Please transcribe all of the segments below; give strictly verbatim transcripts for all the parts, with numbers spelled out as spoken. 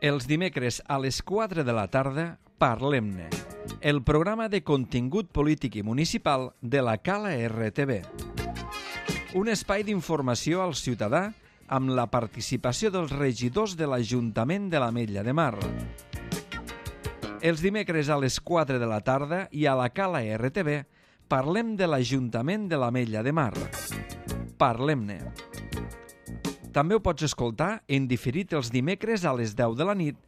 Els dimecres a les quatre de la tarda, Parlem-ne, el programa de contingut polític i municipal de la Cala R T V. Un espai d'informació al ciutadà amb la participació dels regidors de l'Ajuntament de l'Ametlla de Mar. Els dimecres a les quatre de la tarda i a la Cala R T V parlem de l'Ajuntament de l'Ametlla de Mar. Parlem-ne. També ho pots escoltar en diferit els dimecres a les deu de la nit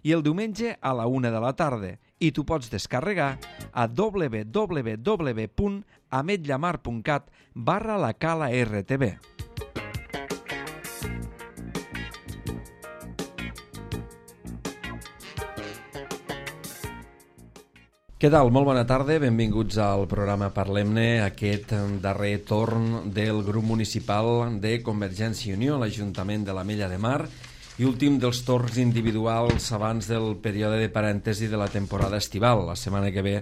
i el diumenge a la una de la tarda i t'ho pots descarregar a w w w punt ametllamar punt cat barra la Cala R T V. Què tal? Molt bona tarda, benvinguts al programa Parlem-ne, aquest darrer torn del grup municipal de Convergència i Unió a l'Ajuntament de l'Ametlla de Mar i últim dels torns individuals abans del període de parèntesi de la temporada estival. La setmana que ve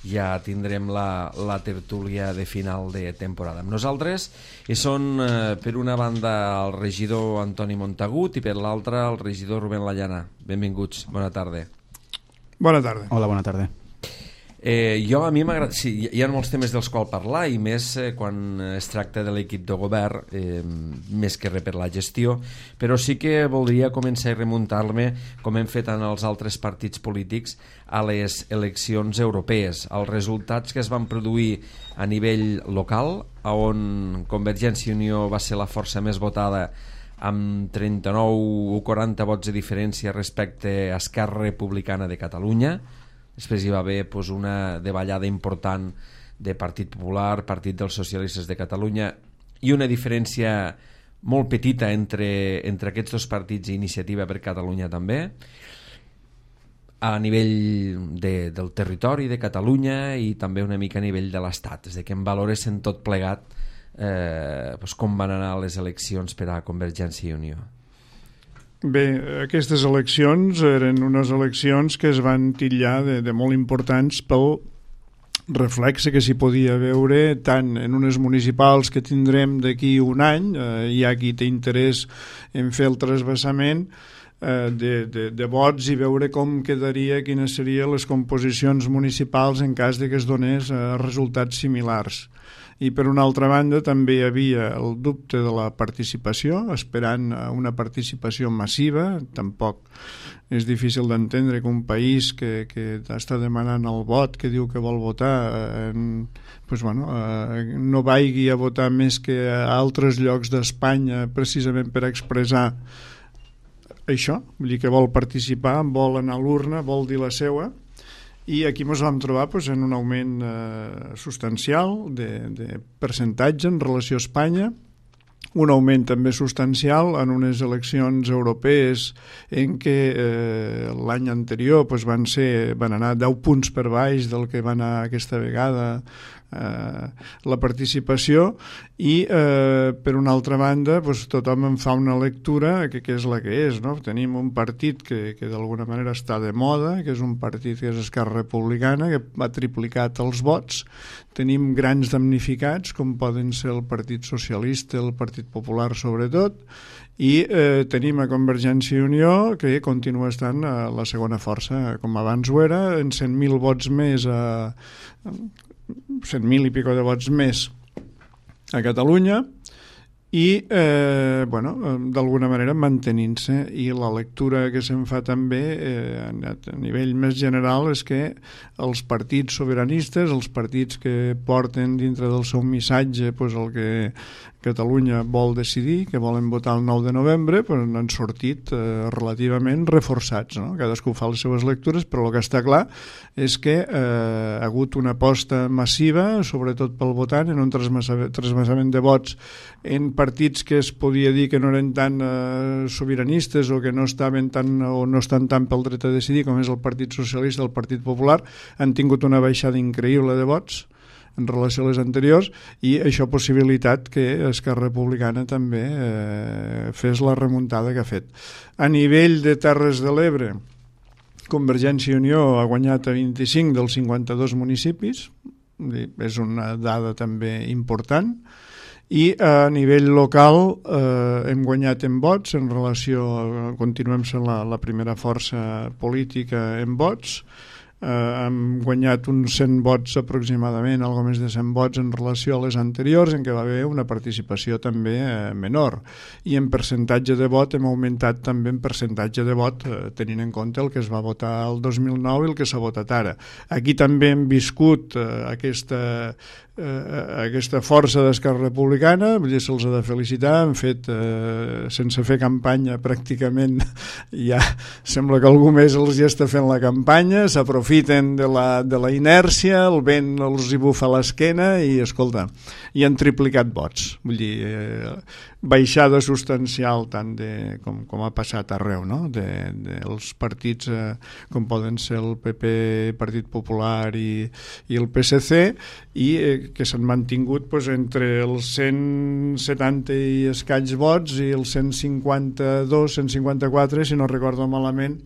ja tindrem la, la tertúlia de final de temporada. Amb nosaltres hi són, eh, per una banda, el regidor Antoni Montagut i per l'altra el regidor Rubén Lallana. Benvinguts, bona tarda. Bona tarda. Hola, bona tarda. Eh, jo a mi m'agrada, sí, hi ha molts temes dels quals parlar i més eh, quan es tracta de l'equip de govern, eh, més que res per la gestió, però sí que voldria començar a remuntar-me, com hem fet en els altres partits polítics, a les eleccions europees, als resultats que es van produir a nivell local, on Convergència i Unió va ser la força més votada amb trenta-nou o quaranta vots de diferència respecte a Esquerra Republicana de Catalunya. Després hi va haver pues, una davallada important de Partit Popular, Partit dels Socialistes de Catalunya i una diferència molt petita entre, entre aquests dos partits i Iniciativa per Catalunya també, a nivell de, del territori de Catalunya i també una mica a nivell de l'Estat. És a dir, que en valores en tot plegat eh, pues, com van anar les eleccions per a Convergència i Unió. Bé, aquestes eleccions eren unes eleccions que es van titllar de, de molt importants pel reflexe que s'hi podia veure tant en unes municipals que tindrem d'aquí un any, eh, hi ha qui té interès en fer el trasbassament eh, de, de, de vots i veure com quedaria, quines serien les composicions municipals en cas de que es donés eh, resultats similars. I per una altra banda també hi havia el dubte de la participació, esperant una participació massiva. Tampoc és difícil d'entendre que un país que, que està demanant el vot, que diu que vol votar, eh, pues bueno, eh, no vagi a votar més que a altres llocs d'Espanya precisament per expressar això, vull dir que vol participar, vol anar a l'urna, vol dir la seua. I aquí ens vam trobar pues, en un augment eh, substancial de, de percentatge en relació a Espanya, un augment també substancial en unes eleccions europees en què eh, l'any anterior pues, van, ser, van anar deu punts per baix del que va anar aquesta vegada eh, la participació i eh, per una altra banda pues, tothom en fa una lectura que, que és la que és, no? Tenim un partit que, que d'alguna manera està de moda, que és un partit que és Esquerra Republicana, que ha triplicat els vots. Tenim grans damnificats com poden ser el Partit Socialista, el Partit Popular sobretot, i eh, tenim a Convergència i Unió que continua estant a la segona força, com abans ho era, en cent mil vots més, a cent mil i pico de vots més a Catalunya i eh, bueno, d'alguna manera mantenint-se, i la lectura que se'n fa també eh, a nivell més general és que els partits sobiranistes, els partits que porten dintre del seu missatge pues, el que Catalunya vol decidir, que volen votar el nou de novembre, pues, han sortit eh, relativament reforçats, no? Cadascú fa les seves lectures, però el que està clar és que eh, ha hagut una aposta massiva, sobretot pel votant, en un trasbassament de vots en partits que es podia dir que no eren tan eh, sobiranistes o que no estaven tan o no estan tan pel dret a decidir, com és el Partit Socialista, el Partit Popular, han tingut una baixada increïble de vots en relació a les anteriors, i això ha possibilitat que Esquerra Republicana també eh, fes la remuntada que ha fet. A nivell de Terres de l'Ebre, Convergència i Unió ha guanyat a vint-i-cinc dels cinquanta-dos municipis, és una dada també important, I a nivell local eh, hem guanyat en vots en relació, continuem sent la, la primera força política en vots. Uh, hem guanyat uns cent vots aproximadament, algo més de cent vots en relació a les anteriors, en què va haver una participació també uh, menor, i en percentatge de vot hem augmentat també en percentatge de vot uh, tenint en compte el que es va votar el dos mil nou i el que s'ha votat ara. Aquí també hem viscut uh, aquesta eh, aquesta força d'Esquerra Republicana, vull dir, se'ls ha de felicitar, han fet, eh, sense fer campanya pràcticament, ja sembla que algú més els ja està fent la campanya, s'aprofiten de la, de la inèrcia, el vent els hi bufa a l'esquena i, escolta, i han triplicat vots, vull dir, eh, baixada substancial tant de, com, com ha passat arreu, no? de, dels partits eh, com poden ser el P P, Partit Popular i, i el P S C, i eh, que s'han mantingut pues, entre els cent setanta i escaig vots i els cent cinquanta-dos, cent cinquanta-quatre, si no recordo malament,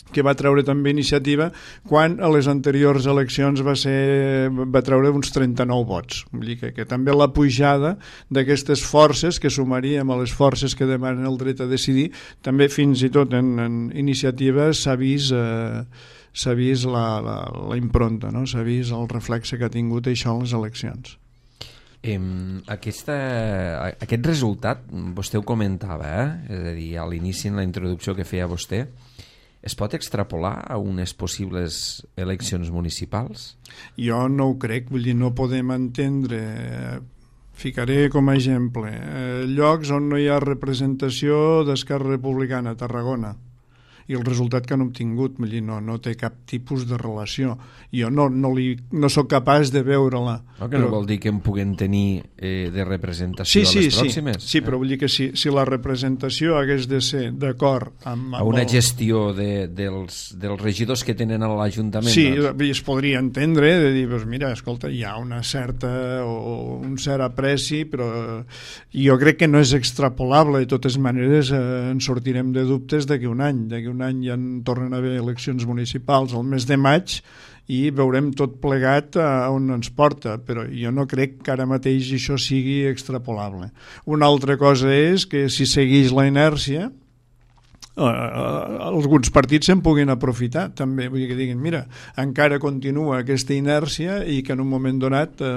que va treure també Iniciativa, quan a les anteriors eleccions va, ser, va treure uns trenta-nou vots. Vull dir que, que també la pujada d'aquestes forces, que sumaríem a les forces que demanen el dret a decidir, també fins i tot en, en Iniciativa s'ha vist, eh, s'ha vist la, la, la impronta, no? S'ha vist el reflexe que ha tingut això en les eleccions. Eh, aquesta, aquest resultat, vostè ho comentava, eh? És a dir, a l'inici, en la introducció que feia vostè, es pot extrapolar a unes possibles eleccions municipals? Jo no ho crec, vull dir, no podem entendre, ficaré com a exemple, eh, llocs on no hi ha representació d'Esquerra Republicana, Tarragona, i el resultat que han obtingut, vull dir, no, no té cap tipus de relació. Jo no, no, li, no soc capaç de veure-la. No, que no però... vol dir que en puguem tenir eh, de representació sí, sí, a les pròximes? Sí, sí, eh? Però vull dir que si, si la representació hagués de ser d'acord amb, amb... A una el... gestió de, dels, dels regidors que tenen a l'Ajuntament. Sí, doncs. Es podria entendre, de dir, doncs mira, escolta, hi ha una certa o un cert apreci, però jo crec que no és extrapolable, de totes maneres eh, en sortirem de dubtes d'aquí un any, d'aquí un un any ja en tornen a haver eleccions municipals al mes de maig i veurem tot plegat a on ens porta, però jo no crec que ara mateix això sigui extrapolable. Una altra cosa és que si segueix la inèrcia, eh, alguns partits se'n puguin aprofitar també, vull dir que diguin, mira, encara continua aquesta inèrcia i que en un moment donat eh,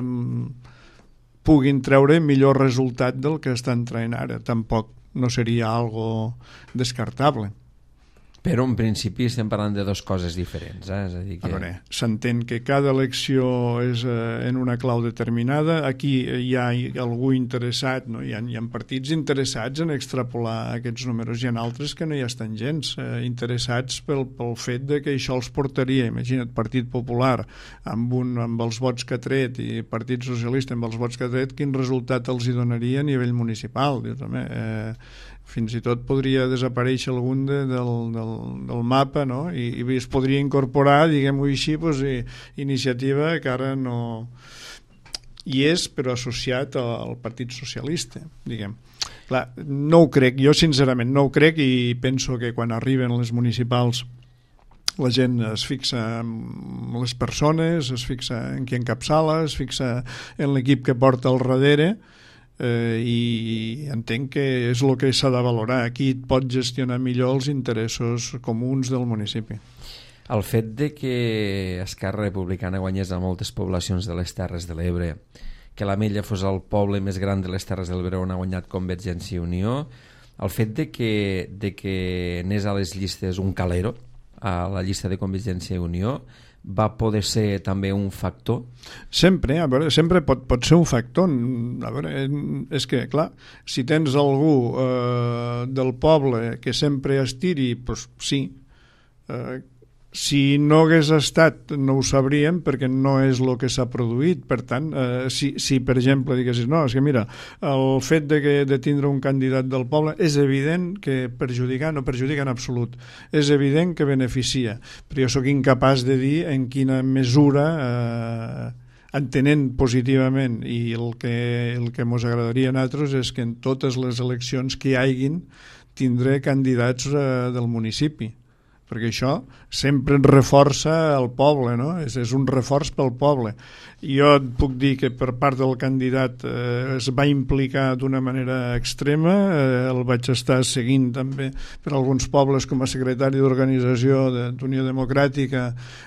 puguin treure millor resultat del que estan traient ara. Tampoc no seria algo descartable. Però en principi estem parlant de dues coses diferents. Eh? És a dir que... A veure, s'entén que cada elecció és eh, en una clau determinada. Aquí hi ha algú interessat, no? hi, ha, hi ha partits interessats en extrapolar aquests números. Hi ha altres que no hi estan gens eh, interessats pel, pel fet de que això els portaria, imagina't, Partit Popular amb, un, amb els vots que ha tret i Partit Socialista amb els vots que ha tret, quin resultat els hi donaria a nivell municipal? Dius, home, eh, fins i tot podria desaparèixer algun de, del, del, del mapa, no? I, i es podria incorporar, diguem-ho així, doncs, i, Iniciativa, que ara no hi és, però associat al Partit Socialista, diguem. Clar, no ho crec, jo sincerament no ho crec, i penso que quan arriben les municipals la gent es fixa en les persones, es fixa en qui encapçala, es fixa en l'equip que porta al darrere, Eh, i entenc que és el que s'ha de valorar. Aquí et pot gestionar millor els interessos comuns del municipi. El fet de que Esquerra Republicana guanyés a moltes poblacions de les Terres de l'Ebre, que l'Ametlla fos el poble més gran de les Terres de l'Ebre on ha guanyat Convergència i Unió, el fet de que, de que anés a les llistes un calero, a la llista de Convergència i Unió, va poder ser també un factor? Sempre, a veure, sempre pot, pot ser un factor. A veure, és que, clar, si tens algú eh, del poble que sempre estiri, doncs sí. Eh, si no hagués estat, no ho sabríem, perquè no és el que s'ha produït. Per tant, eh, si, si per exemple diguessis, no, és que mira, el fet de, que, de tindre un candidat del poble és evident que perjudica, no perjudica en absolut, és evident que beneficia, però jo sóc incapaç de dir en quina mesura, eh, entenent positivament, i el que, el que mos agradaria a nosaltres és que en totes les eleccions que hi haguin tindré candidats eh, del municipi, perquè això sempre ens reforça el poble, no? És, és un reforç pel poble. Jo et puc dir que per part del candidat eh, es va implicar d'una manera extrema, eh, el vaig estar seguint també per alguns pobles com a secretari d'organització d'Unió Democràtica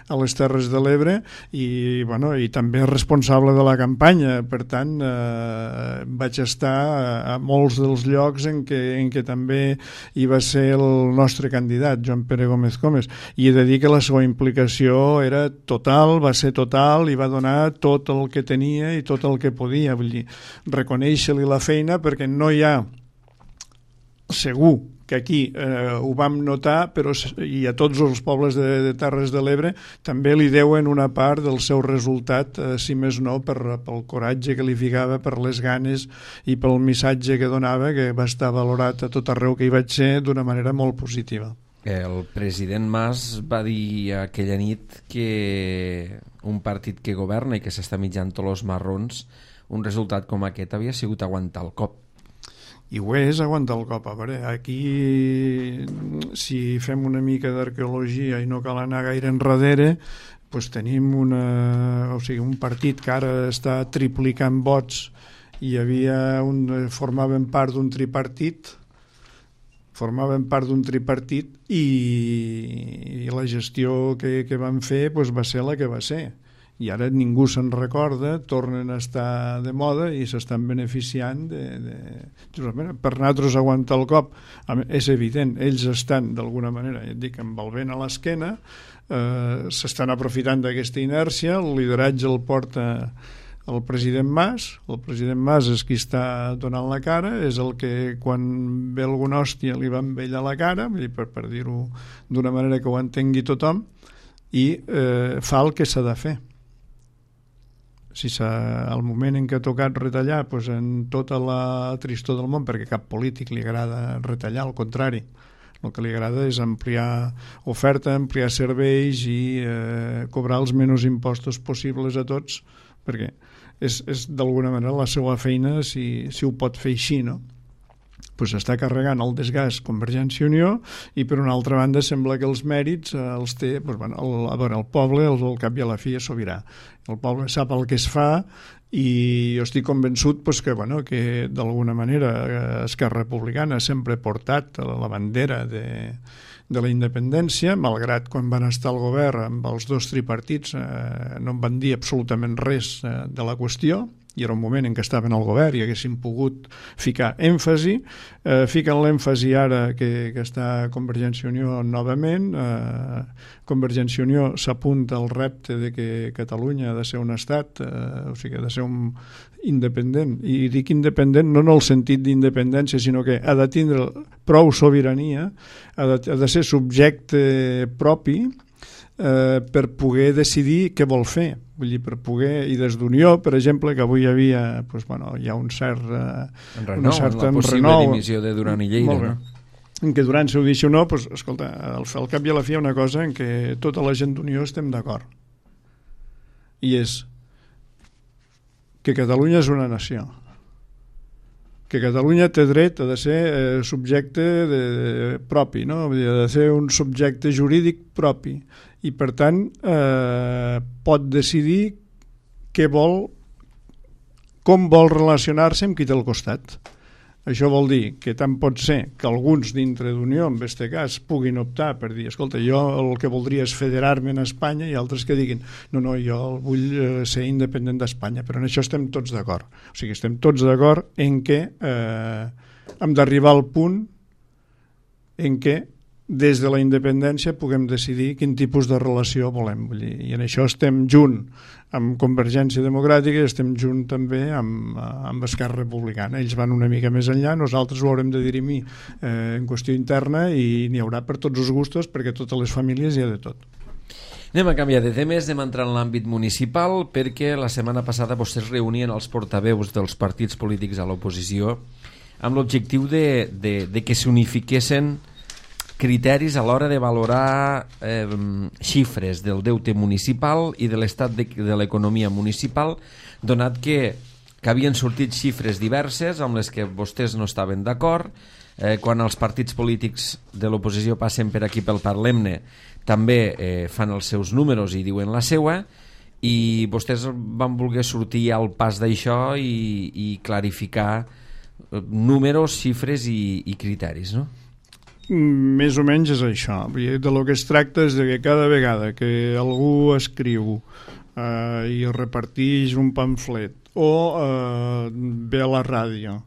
a les Terres de l'Ebre i, bueno, i també responsable de la campanya, per tant eh, vaig estar a, a molts dels llocs en què, en què també hi va ser el nostre candidat, Joan Pere Gómez Comes, i he de dir que la seva implicació era total, va ser total i va donar tot el que tenia i tot el que podia, vull dir, reconèixer-li la feina, perquè no hi ha, segur que aquí eh, ho vam notar, però i a tots els pobles de, de Terres de l'Ebre també li deuen una part del seu resultat, eh, si més no per, pel coratge que li ficava, per les ganes i pel missatge que donava, que va estar valorat a tot arreu que hi vaig ser d'una manera molt positiva. El president Mas va dir aquella nit que un partit que governa i que s'està mitjant tots els marrons, un resultat com aquest havia sigut aguantar el cop. I ho és aguantar el cop. A veure, aquí, si fem una mica d'arqueologia i no cal anar gaire enrere, doncs tenim una, o sigui, un partit que ara està triplicant vots i havia un, formaven part d'un tripartit, formaven part d'un tripartit i, i la gestió que, que van fer doncs va ser la que va ser. I ara ningú se'n recorda, tornen a estar de moda i s'estan beneficiant de, de... per nosaltres aguantar el cop. És evident, ells estan d'alguna manera, ja et dic, amb el vent a l'esquena, eh, s'estan aprofitant d'aquesta inèrcia, el lideratge el porta el president Mas, el president Mas és qui està donant la cara, és el que quan ve alguna hòstia li va amb ell a la cara, per, per dir-ho d'una manera que ho entengui tothom, i eh, fa el que s'ha de fer. Si al moment en què ha tocat retallar, doncs en tota la tristor del món, perquè cap polític li agrada retallar, al contrari, el que li agrada és ampliar oferta, ampliar serveis i eh, cobrar els menys impostos possibles a tots, perquè és, és d'alguna manera la seva feina, si, si ho pot fer així, no? Pues està carregant el desgast Convergència i Unió i per una altra banda sembla que els mèrits eh, els té, pues, bueno, el, a veure, el poble el, el cap i a la fi és sobirà, el poble sap el que es fa i jo estic convençut pues, que, bueno, que d'alguna manera eh, Esquerra Republicana sempre ha portat la bandera de, de la independència, malgrat quan van estar al govern amb els dos tripartits eh, no en van dir absolutament res eh, de la qüestió, i era un moment en què estaven al govern i haguessin pogut ficar èmfasi, eh, fiquen l'èmfasi ara que, que està Convergència i Unió novament, eh, Convergència i Unió s'apunta al repte de que Catalunya ha de ser un estat, eh, o sigui, ha de ser un independent, i dic independent no en el sentit d'independència, sinó que ha de tindre prou sobirania, ha de, ha de ser subjecte propi, Eh, per poder decidir què vol fer, vull dir, per poder, i des d'Unió, per exemple, que avui hi havia, doncs, bueno, hi ha un cert eh, renou, una certa la possible renou, dimissió de Duran i Lleida, no? En què Duran s'ho deixi o no, doncs, escolta, al, al cap i a la fi hi ha una cosa en què tota la gent d'Unió estem d'acord, i és que Catalunya és una nació, que Catalunya té dret a de ser eh, subjecte de, de, propi, no? Vull dir, ha de ser un subjecte jurídic propi, i per tant eh, pot decidir què vol, com vol relacionar-se amb qui té al costat. Això vol dir que tant pot ser que alguns dintre d'Unió, en aquest cas, puguin optar per dir, escolta, jo el que voldria és federar-me en Espanya, i altres que diguin, no, no, jo vull ser independent d'Espanya, però en això estem tots d'acord. O sigui, estem tots d'acord en què eh, hem d'arribar al punt en què des de la independència puguem decidir quin tipus de relació volem. Vull dir, i en això estem junt amb Convergència Democràtica i estem junt també amb, amb Esquerra Republicana. Ells van una mica més enllà, nosaltres ho haurem de dirimir eh, en qüestió interna i n'hi haurà per tots els gustos perquè a totes les famílies hi ha de tot. Anem a canviar de temes, anem a entrar en l'àmbit municipal perquè la setmana passada vostès reunien els portaveus dels partits polítics a l'oposició amb l'objectiu de, de, de que s'unifiquessin criteris a l'hora de valorar eh, xifres del deute municipal i de l'estat de, de l'economia municipal, donat que que havien sortit xifres diverses amb les que vostès no estaven d'acord. Eh, quan els partits polítics de l'oposició passen per aquí pel Parlem-ne també eh, fan els seus números i diuen la seua, i vostès van voler sortir al pas d'això i, i clarificar números, xifres i, i criteris, no? Més o menys és això. De lo que es tracta és de que cada vegada que algú escriu eh, i reparteix un pamflet o eh, ve a la ràdio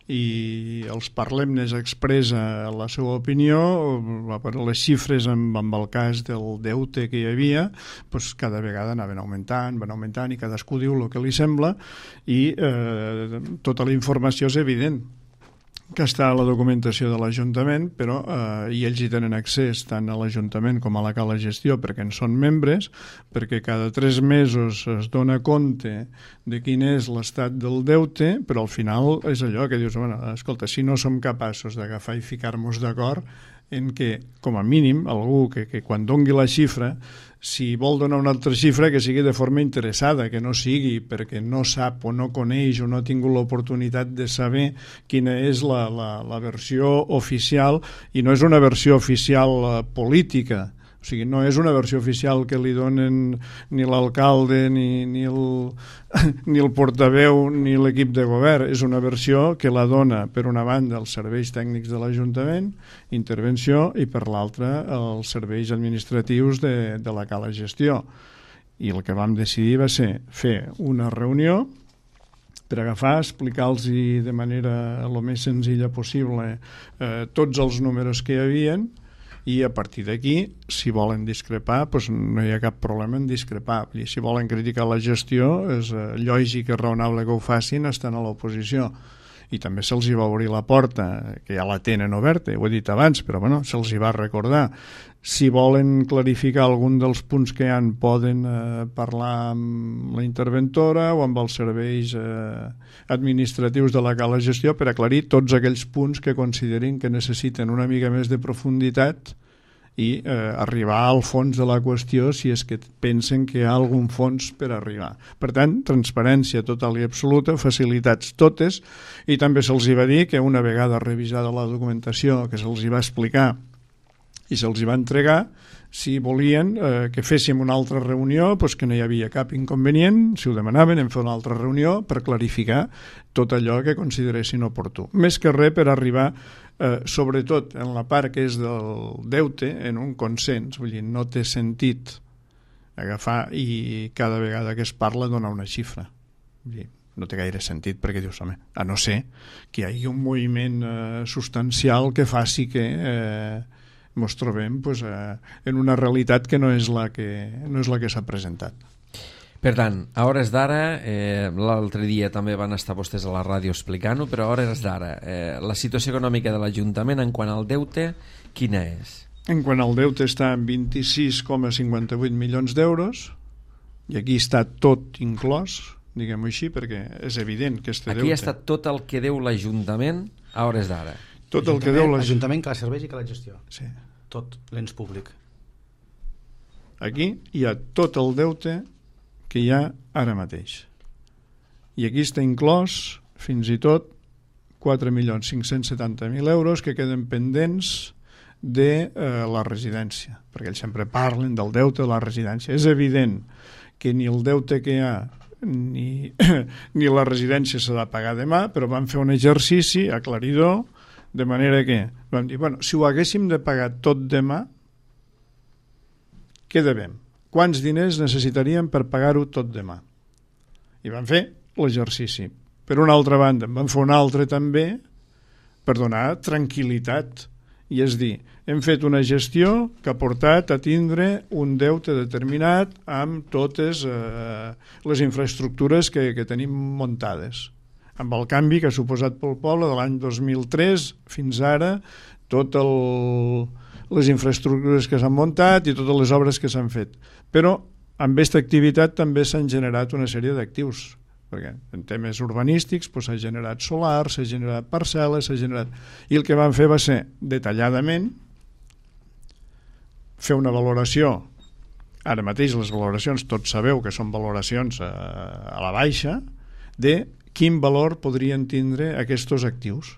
i els Parlem-nes expressa la seva opinió, les xifres amb, amb el cas del deute que hi havia, doncs cada vegada anaven augmentant, van augmentant, i cadascú diu el que li sembla, i eh, tota la informació és evident que està a la documentació de l'Ajuntament, però eh, i ells hi tenen accés tant a l'Ajuntament com a la Cala Gestió perquè en són membres, perquè cada tres mesos es dona compte de quin és l'estat del deute, però al final és allò que dius, bueno, escolta, si no som capaços d'agafar i ficar-nos d'acord en que, com a mínim, algú que, que quan dongui la xifra, si vol donar una altra xifra, que sigui de forma interessada, que no sigui perquè no sap o no coneix o no ha tingut l'oportunitat de saber quina és la, la, la versió oficial, i no és una versió oficial uh, política. O sigui, no és una versió oficial que li donen ni l'alcalde, ni, ni, el, ni el portaveu, ni l'equip de govern. És una versió que la dona, per una banda, els serveis tècnics de l'Ajuntament, intervenció, i per l'altra, els serveis administratius de, de la Cala Gestió. I el que vam decidir va ser fer una reunió per agafar, explicar-los de manera el més senzilla possible eh, tots els números que hi havien, i a partir d'aquí, si volen discrepar, doncs no hi ha cap problema en discrepar. I si volen criticar la gestió, és eh, lògic i raonable que ho facin estant a l'oposició. I també se'ls hi va obrir la porta, que ja la tenen oberta, ho he dit abans, però bueno, se'ls hi va recordar. Si volen clarificar algun dels punts que hi ha, poden eh, parlar amb la interventora o amb els serveis eh, administratius de la Cala Gestió per aclarir tots aquells punts que considerin que necessiten una mica més de profunditat i eh, arribar al fons de la qüestió si és que pensen que hi ha algun fons per arribar. Per tant, transparència total i absoluta, facilitats totes, i també se'ls hi va dir que una vegada revisada la documentació que se'ls hi va explicar i se'ls hi va entregar, si volien eh, que féssim una altra reunió, doncs que no hi havia cap inconvenient, si ho demanaven, en fer una altra reunió per clarificar tot allò que consideressin oportú. Més que res per arribar, eh, sobretot en la part que és del deute, en un consens. Vull dir, no té sentit agafar i cada vegada que es parla donar una xifra. Vull dir, no té gaire sentit perquè dius, home, a no ser que hi hagi un moviment eh, substancial que faci que eh, ens trobem pues, eh, en una realitat que no és la que, no és la que s'ha presentat. Per tant, a hores d'ara, eh, l'altre dia també van estar vostès a la ràdio explicant-ho, però a hores d'ara, eh, la situació econòmica de l'Ajuntament en quant al deute, quina és? En quant al deute està en vint-i-sis coma cinquanta-vuit milions d'euros, i aquí està tot inclòs, diguem-ho així, perquè és evident que este aquí deute... Aquí està tot el que deu l'Ajuntament a hores d'ara. Tot el que deu l'Ajuntament, que la serveix i que la gestió. Sí. Tot l'ens públic. Aquí hi ha tot el deute que hi ha ara mateix. I aquí està inclòs, fins i tot, quatre milions cinc-cents setanta mil euros que queden pendents de eh, la residència, perquè ells sempre parlen del deute de la residència. És evident que ni el deute que hi ha ni, ni la residència s'ha de pagar demà, però vam fer un exercici aclaridor, de manera que vam dir, bueno, si ho haguéssim de pagar tot demà, què devem? Quants diners necessitaríem per pagar-ho tot demà? I vam fer l'exercici. Per una altra banda, en vam fer un altre també per donar tranquil·litat. I és dir, hem fet una gestió que ha portat a tindre un deute determinat amb totes eh, les infraestructures que, que tenim muntades. Amb el canvi que ha suposat pel poble de l'any dos mil tres fins ara, totes les infraestructures que s'han muntat i totes les obres que s'han fet. Però amb aquesta activitat també s'han generat una sèrie d'actius, perquè en temes urbanístics doncs, s'ha generat solar, s'ha generat parcel·les, s'ha generat... I el que vam fer va ser, detalladament, fer una valoració. Ara mateix les valoracions, tots sabeu que són valoracions a, a la baixa, de quin valor podrien tindre aquests actius.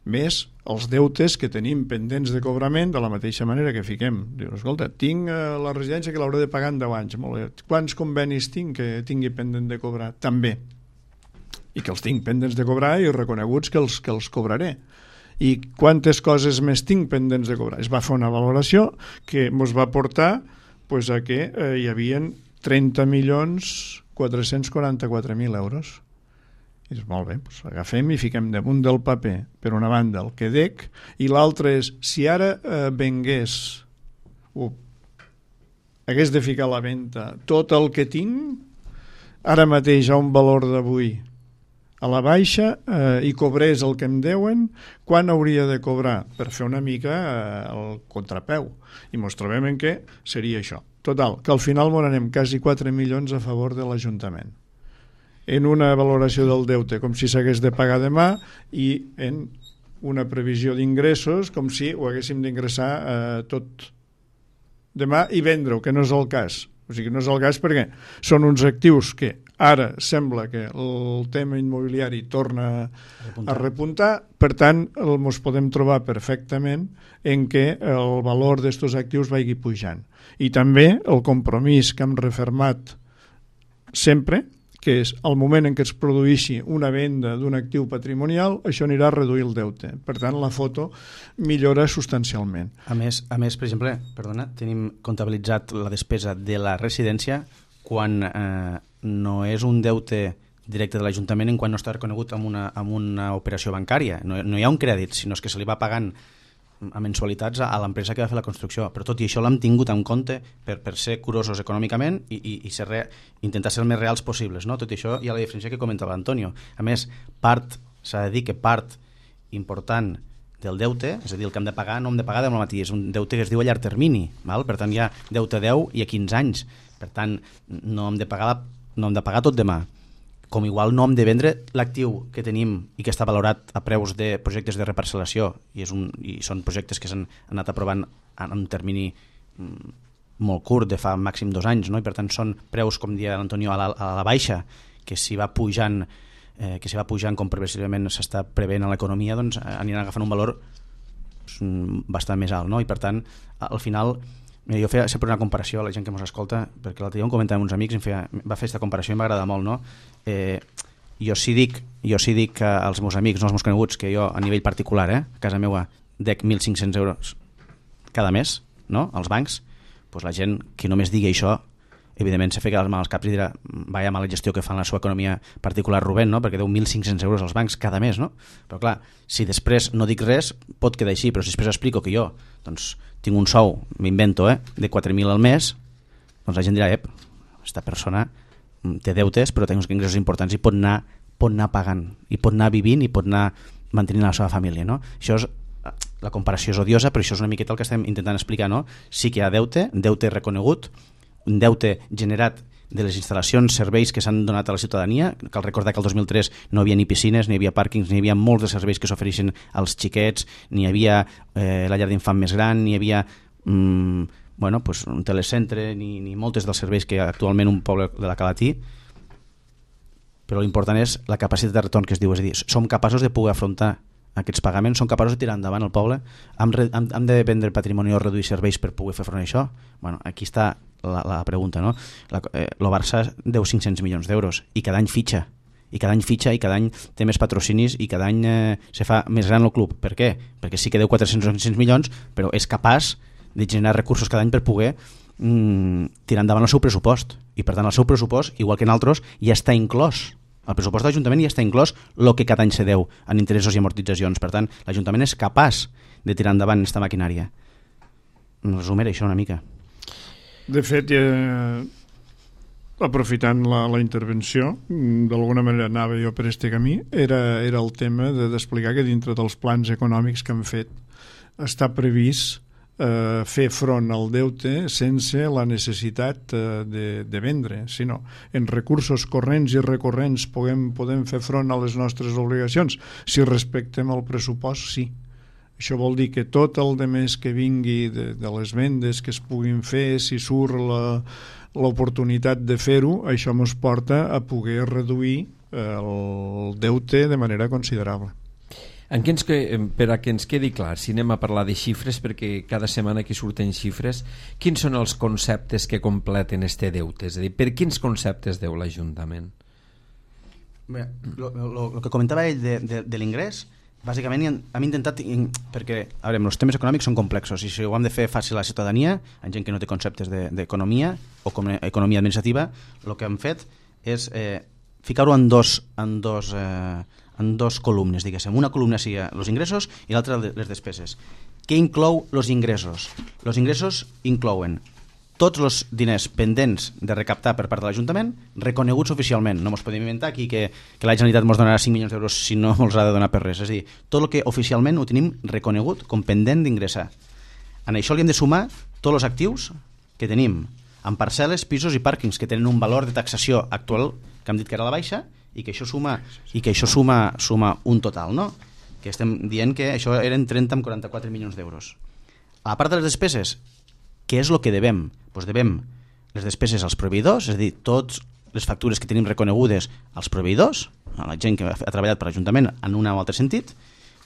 Més els deutes que tenim pendents de cobrament, de la mateixa manera que fiquem. Diu, escolta, tinc la residència que l'hauré de pagar en deu anys. Molt bé. Quants convenis tinc que tingui pendent de cobrar? També. I que els tinc pendents de cobrar i reconeguts que els, que els cobraré. I quantes coses més tinc pendents de cobrar? Es va fer una valoració que ens va portar pues, a que eh, hi havia trenta milions quatre-cents quaranta-quatre mil euros. I és molt bé, doncs agafem i fiquem damunt del paper, per una banda, el que dec, i l'altre és, si ara eh, vengués, o hagués de ficar a la venda tot el que tinc, ara mateix a un valor d'avui a la baixa, eh, i cobrés el que em deuen, quan hauria de cobrar? Per fer una mica eh, el contrapeu. I ens trobem en què seria això. Total, que al final m'on anem quasi quatre milions a favor de l'Ajuntament. En una valoració del deute com si s'hagués de pagar demà i en una previsió d'ingressos com si ho haguéssim d'ingressar eh, tot demà i vendre-ho, que no és el cas. O sigui, no és el cas perquè són uns actius que ara sembla que el tema immobiliari torna a repuntar, per tant, ens podem trobar perfectament en què el valor d'estos actius vagi pujant. I també el compromís que hem refermat sempre, que és el moment en què es produeixi una venda d'un actiu patrimonial, això anirà a reduir el deute. Per tant, la foto millora substancialment. A més, a més per exemple, perdona, tenim comptabilitzat la despesa de la residència quan eh, no és un deute directe de l'Ajuntament en quan no està reconegut amb una, amb una operació bancària. No, no hi ha un crèdit, sinó que se li va pagant a mensualitats a l'empresa que va fer la construcció, però tot i això l'hem tingut en compte per, per ser curosos econòmicament i, i, i ser re, intentar ser el més reals possibles, no? Tot i això hi ha la diferència que comentava Antonio. A més, part, s'ha de dir que part important del deute, és a dir, el que hem de pagar no hem de pagar demà matí, és un deute que es diu a llarg termini, val? Per tant hi ha deute a deu i a quinze anys, per tant no hem de pagar, no hem de pagar tot demà. Com igual no hem de vendre l'actiu que tenim i que està valorat a preus de projectes de reparcel·lació i, és un, i són projectes que s'han anat aprovant en un termini mm, molt curt, de fa màxim dos anys, no? I per tant són preus, com dia l'Antonio, a la, a la baixa, que si va pujant eh, que si va pujant com progressivament s'està preveient a l'economia, doncs aniran agafant un valor doncs, bastant més alt, no? I per tant, al final jo feia sempre una comparació a la gent que ens escolta, perquè l'altre dia un comentava amb uns amics i em feia, va fer aquesta comparació i m'agrada molt, no? Eh, jo sí dic jo sí dic als meus amics, no als meus coneguts, que jo a nivell particular, eh, a casa meva dec mil cinc-cents euros cada mes, no?, als bancs, doncs la gent que només digui això, evidentment se fica les mans als caps i dirà, vaya mala gestió que fan la seva economia particular Rubén, no?, perquè deu mil cinc-cents euros als bancs cada mes, no? Però clar, si després no dic res pot quedar així, però si després explico que jo doncs tinc un sou, m'invento, eh, de quatre mil al mes, doncs la gent dirà, ep, aquesta persona té deutes però té uns ingressos importants i pot anar, pot anar pagant, i pot anar vivint i pot anar mantenint la seva família, no? Això és, la comparació és odiosa, però això és una miqueta el que estem intentant explicar, no? Sí que hi ha deute, deute reconegut, un deute generat de les instal·lacions, serveis que s'han donat a la ciutadania. Cal recordar que el dos mil tres no hi havia ni piscines, ni hi havia pàrquings, ni hi havia molts de serveis que s'ofereixen als xiquets, ni hi havia eh, la llar d'infant més gran, ni hi havia mm, bueno, pues un telecentre, ni, ni moltes dels serveis que actualment un poble de la Calatí. Però l'important és la capacitat de retorn que es diu, és a dir, som capaços de poder afrontar aquests pagaments, som capaços de tirar endavant el poble, hem, hem, hem de vendre patrimoni o reduir serveis per poder fer front a això? Bueno, aquí està la, la pregunta, no? La, eh, el Barça deu cinc-cents milions d'euros i cada any fitxa, i cada any fitxa i cada any té més patrocinis i cada any eh, se fa més gran el club. Per què? Perquè sí que deu quatre-cents o cinc-cents milions, però és capaç de generar recursos cada any per poder mm, tirar endavant el seu pressupost, i per tant el seu pressupost, igual que en altres, ja està inclòs. El pressupost de l'Ajuntament ja està inclòs el que cada any se deu en interessos i amortitzacions. Per tant, l'Ajuntament és capaç de tirar endavant aquesta maquinària. Resumir això una mica. De fet, eh, aprofitant la, la intervenció, d'alguna manera anava jo per este camí, era, era el tema de d'explicar que dintre dels plans econòmics que han fet està previst eh, fer front al deute sense la necessitat eh, de, de vendre, sinó en recursos corrents i recurrents podem, podem fer front a les nostres obligacions. Si respectem el pressupost, sí. Això vol dir que tot el de més que vingui de, de les vendes que es puguin fer, si surt la, l'oportunitat de fer-ho, això ens porta a poder reduir el deute de manera considerable. En què ens, per a que ens quedi clar, si anem a parlar de xifres, perquè cada setmana aquí surten xifres, quins són els conceptes que completen este deute? És a dir, per quins conceptes deu l'Ajuntament? Bé, el que comentava ell de, de, de l'ingrés, bàsicament hem intentat, perquè a veure, els temes econòmics són complexos i si ho hem de fer fàcil a la ciutadania, en gent que no té conceptes d'economia o com economia administrativa, el que hem fet és eh, ficar-ho en dos, en dos eh, en dos columnes, diguéssim. Una columna sigui els ingressos i l'altra les despeses. Què inclou els ingressos? Els ingressos inclouen tots els diners pendents de recaptar per part de l'Ajuntament, reconeguts oficialment. No ens podem inventar aquí que, que la Generalitat ens donarà cinc milions d'euros si no ens ha de donar per res. És a dir, tot el que oficialment ho tenim reconegut com pendent d'ingressar. En això li hem de sumar tots els actius que tenim en parcel·les, pisos i pàrquings que tenen un valor de taxació actual que hem dit que era la baixa i que això suma i que això suma, suma un total, no? Que estem dient que això eren trenta amb quaranta-quatre milions d'euros. A part de les despeses, què és el que devem? Doncs devem les despeses als proveïdors, és a dir, totes les factures que tenim reconegudes als proveïdors, a la gent que ha treballat per l'Ajuntament en un o altre sentit,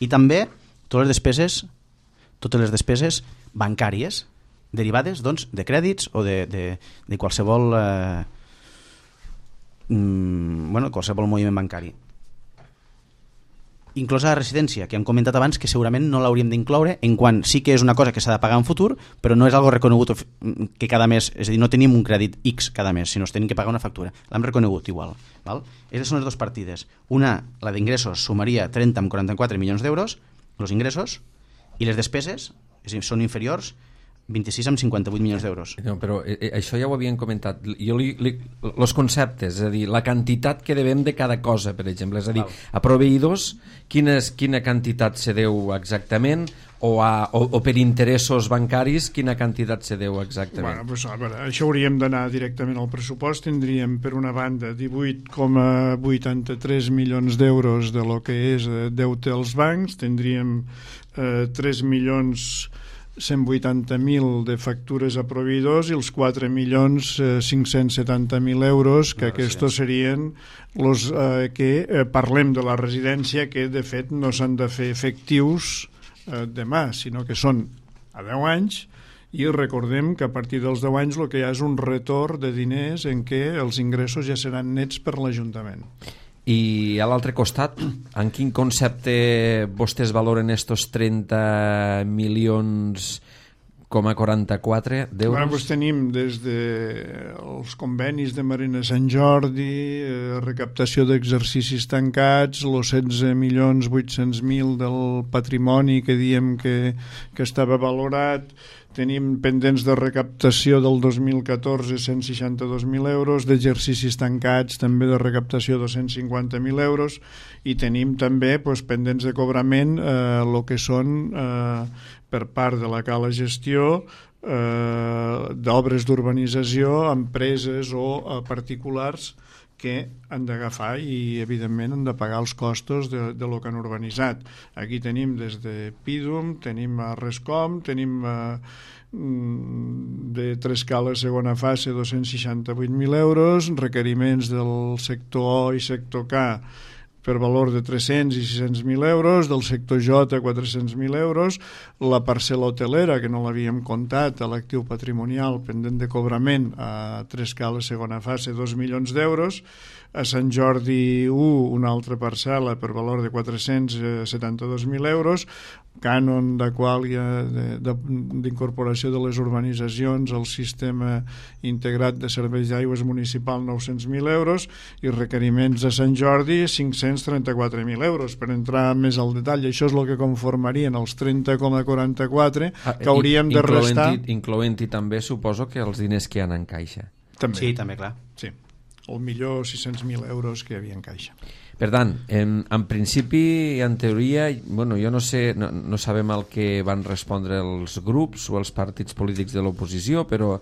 i també totes les despeses, totes les despeses bancàries derivades doncs, de crèdits o de, de, de qualsevol eh, mm, bueno, qualsevol moviment bancari. Inclosa la residència, que hem comentat abans que segurament no l'hauríem d'incloure, en quant sí que és una cosa que s'ha de pagar en futur, però no és algo reconegut que cada mes, és a dir, no tenim un crèdit X cada mes, sinó que tenim que pagar una factura. L'hem reconegut igual. Val? Aquestes són les dues partides. Una, la d'ingressos, sumaria trenta amb quaranta-quatre milions d'euros, els ingressos, i les despeses, és a dir, són inferiors, vint-i-sis amb cinquanta-vuit milions d'euros. No, però eh, això ja ho havien comentat. Jo li, li, los conceptes, és a dir, la quantitat que devem de cada cosa, per exemple. És a dir, a proveïdors, quina, quina quantitat se deu exactament, o, a, o, o per interessos bancaris, quina quantitat se deu exactament? Bueno, pues, a veure, això hauríem d'anar directament al pressupost. Tindríem, per una banda, divuit coma vuitanta-tres milions d'euros de lo que és deute als bancs, tindríem eh, tres milions cent vuitanta mil de factures a proveïdors i els quatre milions cinc-cents setanta mil euros, que aquests serien els eh, que eh, parlem de la residència, que de fet no s'han de fer efectius eh, demà, sinó que són a deu anys, i recordem que a partir dels deu anys el que hi ha és un retorn de diners en què els ingressos ja seran nets per l'Ajuntament. I a l'altre costat, en quin concepte vostès valoren estos trenta milions coma quaranta-quatre d'euros? Bueno, pues tenim des dels convenis de Marina Sant Jordi, eh, recaptació d'exercicis tancats, els setze milions vuit-cents mil del patrimoni que diem que, que estava valorat. Tenim pendents de recaptació del dos mil catorze cent seixanta-dos mil euros, d'exercicis tancats també de recaptació dos-cents cinquanta mil euros, i tenim també pues, pendents de cobrament eh, el que són eh, per part de la Cala Gestió eh, d'obres d'urbanització, empreses o eh, particulars que han d'agafar i evidentment han de pagar els costos de, de lo que han urbanitzat. Aquí tenim des de Pidum, tenim a Rescom, tenim a, de Trescala segona fase dos-cents seixanta-vuit mil euros, requeriments del sector O i sector K per valor de tres-cents i sis-cents mil euros, del sector J quatre-cents mil euros, la parcel·la hotelera, que no l'havíem comptat, a l'actiu patrimonial pendent de cobrament a Trescala segona fase, dos milions d'euros, a Sant Jordi u una altra parcel·la per valor de quatre-cents setanta-dos mil euros, cànon de quàlia d'incorporació de, de, de les urbanitzacions al sistema integrat de serveis d'aigües municipal nou-cents mil euros i requeriments a Sant Jordi cinc-cents trenta-quatre mil euros. Per entrar més al detall, això és el que conformarien els trenta coma quaranta-quatre ah, que hauríem de restar. Incloent-hi també, suposo, que els diners que hi ha en caixa. També. Sí, també, clar. Sí, el millor sis-cents mil euros que hi havia en caixa. Per tant, en, en principi, en teoria, bueno, jo no sé, no, no sabem el que van respondre els grups o els partits polítics de l'oposició, però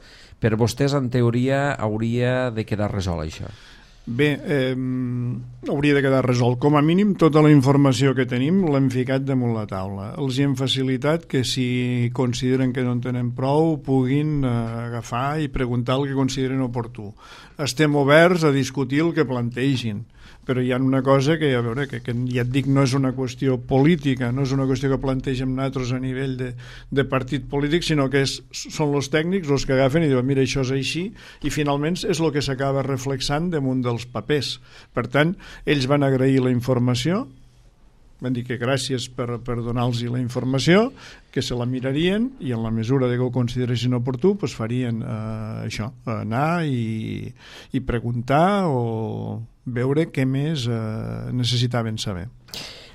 per vostès, en teoria, hauria de quedar resolt això. Bé, eh, hauria de quedar resolt. Com a mínim, tota la informació que tenim l'hem ficat damunt la taula. Els hi hem facilitat que si consideren que no en tenen prou puguin eh, agafar i preguntar el que consideren oportú. Estem oberts a discutir el que plantegin, però hi ha una cosa que, a veure, que, que ja et dic, no és una qüestió política, no és una qüestió que plantegem nosaltres a nivell de, de partit polític, sinó que és, són els tècnics els que agafen i diuen, mira, això és així, i finalment és el que s'acaba reflexant damunt dels papers. Per tant, ells van agrair la informació, van dir que gràcies per, per donar-los la informació, que se la mirarien i en la mesura de que ho consideressin oportú pues farien eh, això, anar i, i preguntar o veure què més eh, necessitaven saber.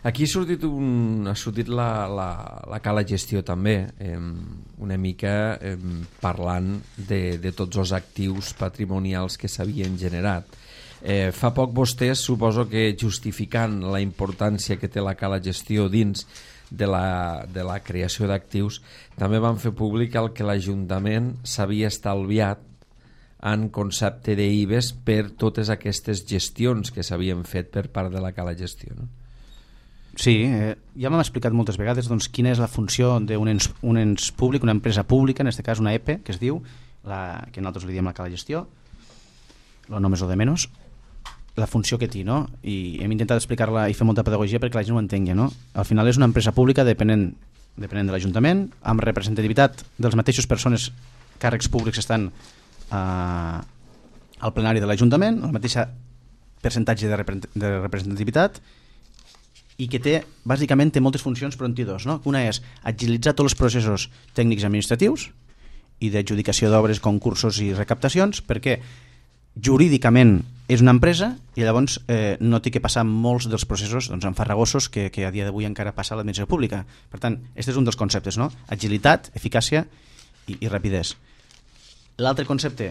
Aquí ha sortit, un, ha sortit la, la, la cala gestió també, eh, una mica eh, parlant de, de tots els actius patrimonials que s'havien generat. Eh, fa poc vostès, suposo que justificant la importància que té la cala gestió dins de la, de la creació d'actius, també van fer públic el que l'Ajuntament s'havia estalviat en concepte d'I B E S per totes aquestes gestions que s'havien fet per part de la cala gestió, no? Sí, eh, ja m'hem explicat moltes vegades doncs, quina és la funció d'un ens, un ens públic, una empresa pública, en aquest cas una E P E, que es diu, la, que nosaltres li diem la cala gestió, lo no més o de menys, la funció que té, no? I hem intentat explicar-la i fer molta pedagogia perquè la gent ho entengui, no? Al final és una empresa pública dependent, dependent de l'Ajuntament, amb representativitat dels mateixos persones, càrrecs públics estan eh, al plenari de l'Ajuntament, el mateix percentatge de, repre de representativitat, i que té, bàsicament, té moltes funcions, però en té dos, no? Una és agilitzar tots els processos tècnics administratius i d'adjudicació d'obres, concursos i recaptacions, perquè jurídicament és una empresa i llavors eh, no té que passar molts dels processos doncs, enfarragosos que, que a dia d'avui encara passa a l'administració pública. Per tant, aquest és un dels conceptes, no? Agilitat, eficàcia i, i rapidesa. L'altre concepte,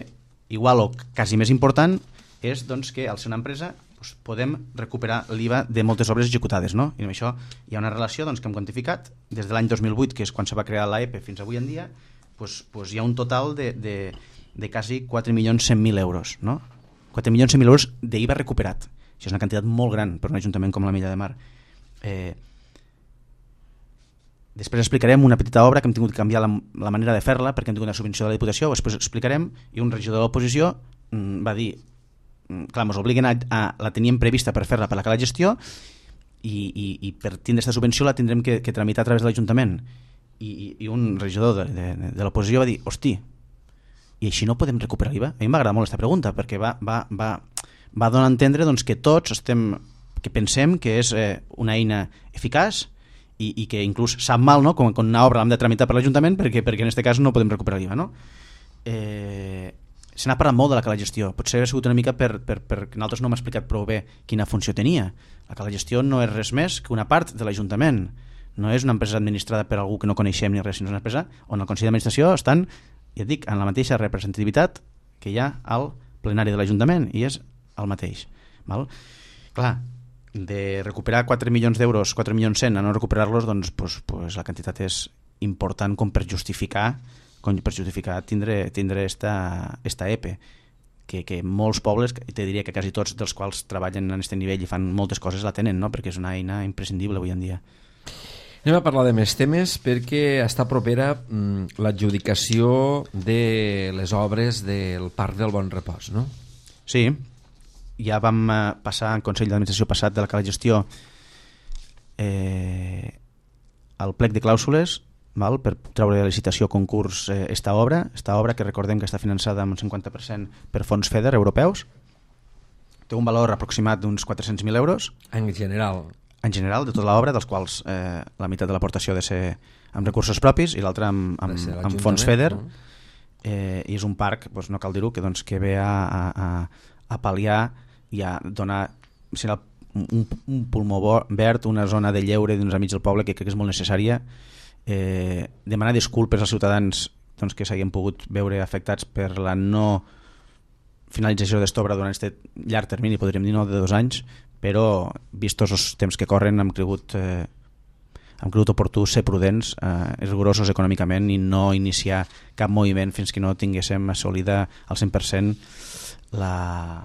igual o quasi més important, és doncs, que al ser una empresa doncs, podem recuperar l'I V A de moltes obres executades, no? I amb això hi ha una relació doncs, que hem quantificat des de l'any dos mil vuit, que és quan se va crear l'A E P E, fins avui en dia, doncs, doncs hi ha un total de, de, de quasi quatre milions cent mil euros, no? quatre milions cent mil euros d'I V A recuperat. Això és una quantitat molt gran per un ajuntament com la Milla de Mar. Eh, després explicarem una petita obra que hem tingut que canviar la, la manera de fer-la perquè hem tingut una subvenció de la Diputació, després explicarem, i un regidor de l'oposició mm, va dir, mm, clar, ens obliguen a, a, la teníem prevista per fer-la per la cala gestió i, i, i per tindre aquesta subvenció la tindrem que, que tramitar a través de l'Ajuntament. I, i, i un regidor de, de, de l'oposició va dir, hosti, i així no podem recuperar l'I V A? A mi m'agrada molt aquesta pregunta perquè va, va, va, va donar a entendre doncs, que tots estem, que pensem que és eh, una eina eficaç i, i que inclús sap mal, no? com, com una obra l'hem de tramitar per l'Ajuntament perquè, perquè en aquest cas no podem recuperar l'I V A, no? Eh, se n'ha parlat molt de la cala gestió, potser ha sigut una mica per, per, per que nosaltres no hem explicat prou bé quina funció tenia. La cala gestió no és res més que una part de l'Ajuntament, no és una empresa administrada per algú que no coneixem ni res, sinó una empresa on el Consell d'Administració estan, ja et dic, en la mateixa representativitat que hi ha al plenari de l'Ajuntament i és el mateix, val? Clar, de recuperar quatre milions d'euros, quatre milions cent a no recuperar-los, doncs pues, pues la quantitat és important com per justificar com per justificar tindre, tindre esta, esta E P E, que, que molts pobles, te diria que quasi tots dels quals treballen en aquest nivell i fan moltes coses la tenen, no? Perquè és una eina imprescindible avui en dia. Anem a parlar de més temes perquè està propera mm, l'adjudicació de les obres del Parc del Bon Repòs, no? Sí, ja vam eh, passar en Consell d'Administració passat de la cala gestió eh, al plec de clàusules, val, per treure de licitació concurs eh, esta obra, esta obra que recordem que està finançada amb un cinquanta per cent per fons FEDER europeus, té un valor aproximat d'uns quatre-cents mil euros. En general? En general, de tota l'obra, dels quals eh, la meitat de l'aportació ha de ser amb recursos propis i l'altra amb, amb, amb fons FEDER. No? Eh, I és un parc, doncs no cal dir-ho, que, doncs, que ve a, a, a pal·liar i a donar serà un, un pulmó verd, una zona de lleure dins enmig del poble que crec que és molt necessària. Eh, demanar disculpes als ciutadans doncs, que s'hagin pogut veure afectats per la no finalització d'esta obra durant aquest llarg termini, podríem dir, no, de dos anys, però vistos els temps que corren hem cregut, eh, hem cregut oportú ser prudents, eh, rigorosos econòmicament i no iniciar cap moviment fins que no tinguéssim assolida al cent per cent la,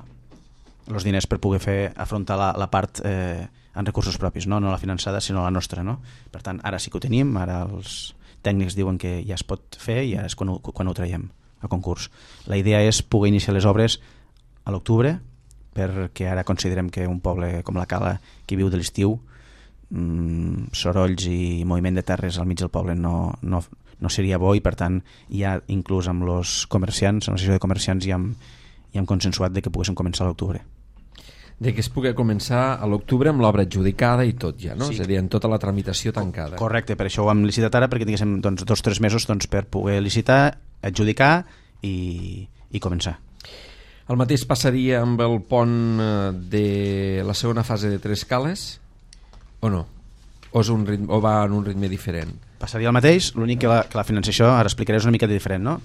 els diners per poder fer afrontar la, la part eh, en recursos propis, no? No la finançada sinó la nostra, no? Per tant, ara sí que ho tenim, ara els tècnics diuen que ja es pot fer i ara és quan ho, quan ho traiem a concurs. La idea és poder iniciar les obres a l'octubre, perquè ara considerem que un poble com la Cala, que viu de l'estiu, mmm, sorolls i moviment de terres al mig del poble no, no, no seria bo, i per tant ja inclús amb els comerciants, amb l'associació de comerciants ja hem, ja hem consensuat de que poguéssim començar a l'octubre. De que es pugui començar a l'octubre amb l'obra adjudicada i tot ja, no? Sí. És a dir, en tota la tramitació tancada. Correcte, per això ho hem licitat ara, perquè tinguéssim doncs, dos o tres mesos doncs, per poder licitar, adjudicar i, i començar. El mateix passaria amb el pont de la segona fase de Tres Cales o no? O, és un ritme, o va en un ritme diferent? Passaria el mateix, l'únic que la, que la financiació, ara explicaré, és una mica diferent, no?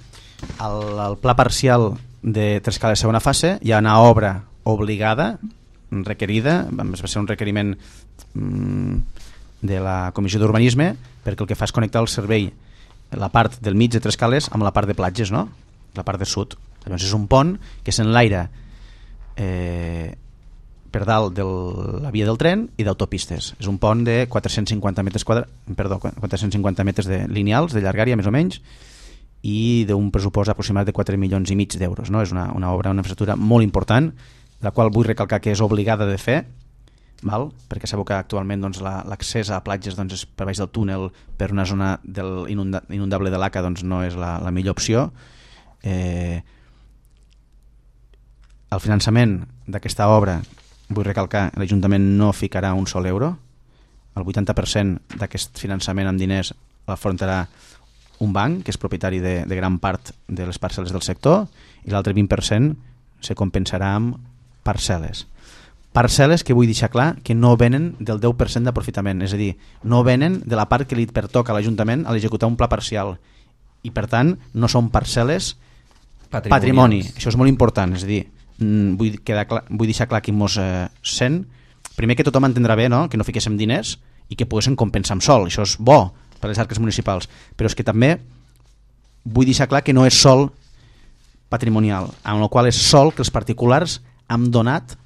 El, el pla parcial de Tres Cales segona fase hi ha una obra obligada, requerida, va ser un requeriment mmm, de la Comissió d'Urbanisme, perquè el que fa és connectar el servei, la part del mig de Tres Cales amb la part de platges, no? La part de sud. Llavors és un pont que s'enlaira eh, per dalt de la via del tren i d'autopistes. És un pont de quatre-cents cinquanta metres quadra... perdó, quatre-cents cinquanta metres de lineals, de llargària més o menys, i d'un pressupost aproximat de quatre milions i mig d'euros, no? És una, una obra, una infraestructura molt important, la qual vull recalcar que és obligada de fer, val? Perquè sabeu que actualment doncs, l'accés a platges doncs, és per baix del túnel per una zona del inunda, inundable de l'Aca, doncs, no és la, la millor opció. Eh, el finançament d'aquesta obra, vull recalcar, l'Ajuntament no ficarà un sol euro, el vuitanta per cent d'aquest finançament amb diners l'afrontarà un banc que és propietari de, de gran part de les parcel·les del sector, i l'altre vint per cent se compensarà amb parcel·les. Parcel·les que vull deixar clar que no venen del deu per cent d'aprofitament, és a dir, no venen de la part que li pertoca a l'Ajuntament a l'executar un pla parcial, i per tant no són parcel·les patrimoni. Això és molt important, és a dir, vull, quedar clar, vull deixar clar qui mos eh, sent, primer que tothom entendrà bé, no? Que no fiquéssim diners i que poguéssim compensar amb sol, això és bo per les arques municipals, però és que també vull deixar clar que no és sol patrimonial, amb el qual és sol que els particulars han donat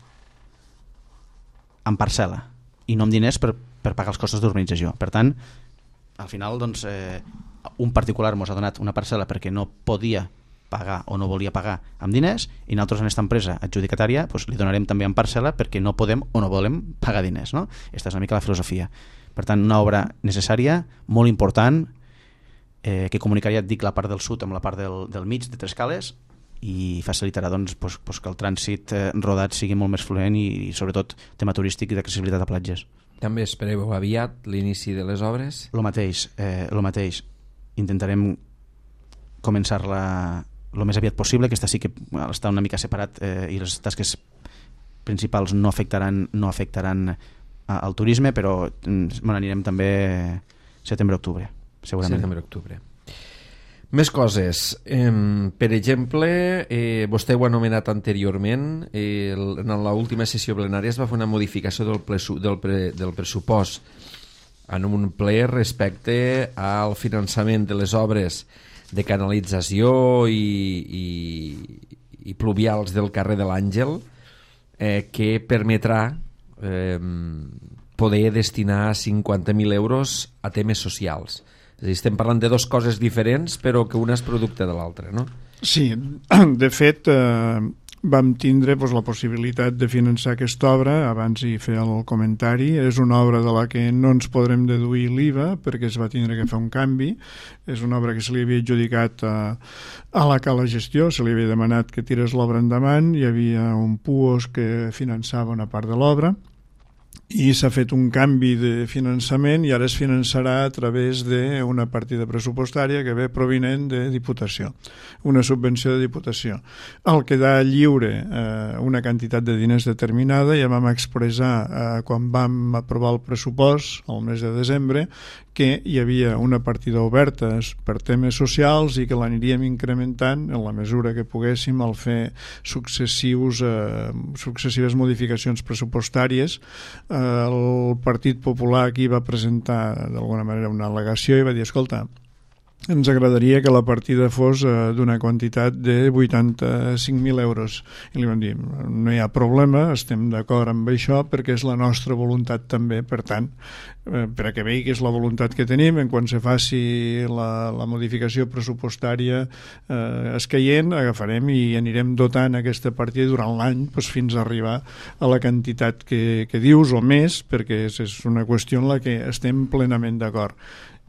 en parcel·la i no amb diners per, per pagar els costos d'urbanització. Per tant, al final doncs, eh, un particular ens ha donat una parcel·la perquè no podia pagar o no volia pagar amb diners, i nosaltres en aquesta empresa adjudicatària doncs, li donarem també en parcel·la perquè no podem o no volem pagar diners, no? Aquesta és una mica la filosofia. Per tant, una obra necessària, molt important, eh, que comunicaria, et dic, la part del sud amb la part del, del mig de Tres Cales, i facilitarà doncs, doncs, doncs, que el trànsit eh, rodat sigui molt més fluent i, i sobretot tema turístic i d'accessibilitat a platges. També espereu aviat l'inici de les obres? Lo mateix, eh, lo mateix. Intentarem començar-la el més aviat possible. Aquesta sí que està una mica separat eh, i les tasques principals no afectaran, no afectaran a, al turisme, però bueno, anirem també setembre-octubre, segurament. Setembre-octubre. Més coses. Eh, per exemple, eh, vostè ho ha anomenat anteriorment, eh, en l'última sessió plenària es va fer una modificació del, presu, del, pre, del pressupost en un ple respecte al finançament de les obres de canalització i, i, i pluvials del carrer de l'Àngel, eh, que permetrà eh, poder destinar cinquanta mil euros a temes socials. És a dir, estem parlant de dues coses diferents, però que una és producte de l'altra, no? Sí, de fet, eh, vam tindre pues, la possibilitat de finançar aquesta obra, abans hi feia el comentari. És una obra de la que no ens podrem deduir l'I V A perquè es va tindre que fer un canvi. És una obra que se li havia adjudicat a, a la Cala Gestió, se li havia demanat que tirés l'obra endavant, hi havia un P U O S que finançava una part de l'obra, i s'ha fet un canvi de finançament i ara es finançarà a través d'una partida pressupostària que ve provinent de Diputació, una subvenció de Diputació. Al quedar lliure eh, una quantitat de diners determinada, ja vam expressar eh, quan vam aprovar el pressupost el mes de desembre que hi havia una partida oberta per temes socials i que l'aniríem incrementant en la mesura que poguéssim al fer successius, eh, successives modificacions pressupostàries. Eh, el Partit Popular aquí va presentar d'alguna manera una al·legació i va dir, escolta, ens agradaria que la partida fos eh, d'una quantitat de vuitanta-cinc mil euros. I li vam dir, no hi ha problema, estem d'acord amb això perquè és la nostra voluntat també, per tant, eh, per a que vegi que és la voluntat que tenim, en quan se faci la, la modificació pressupostària eh, escaient, agafarem i anirem dotant aquesta partida durant l'any pues, fins a arribar a la quantitat que, que dius o més, perquè és, és una qüestió en la que estem plenament d'acord.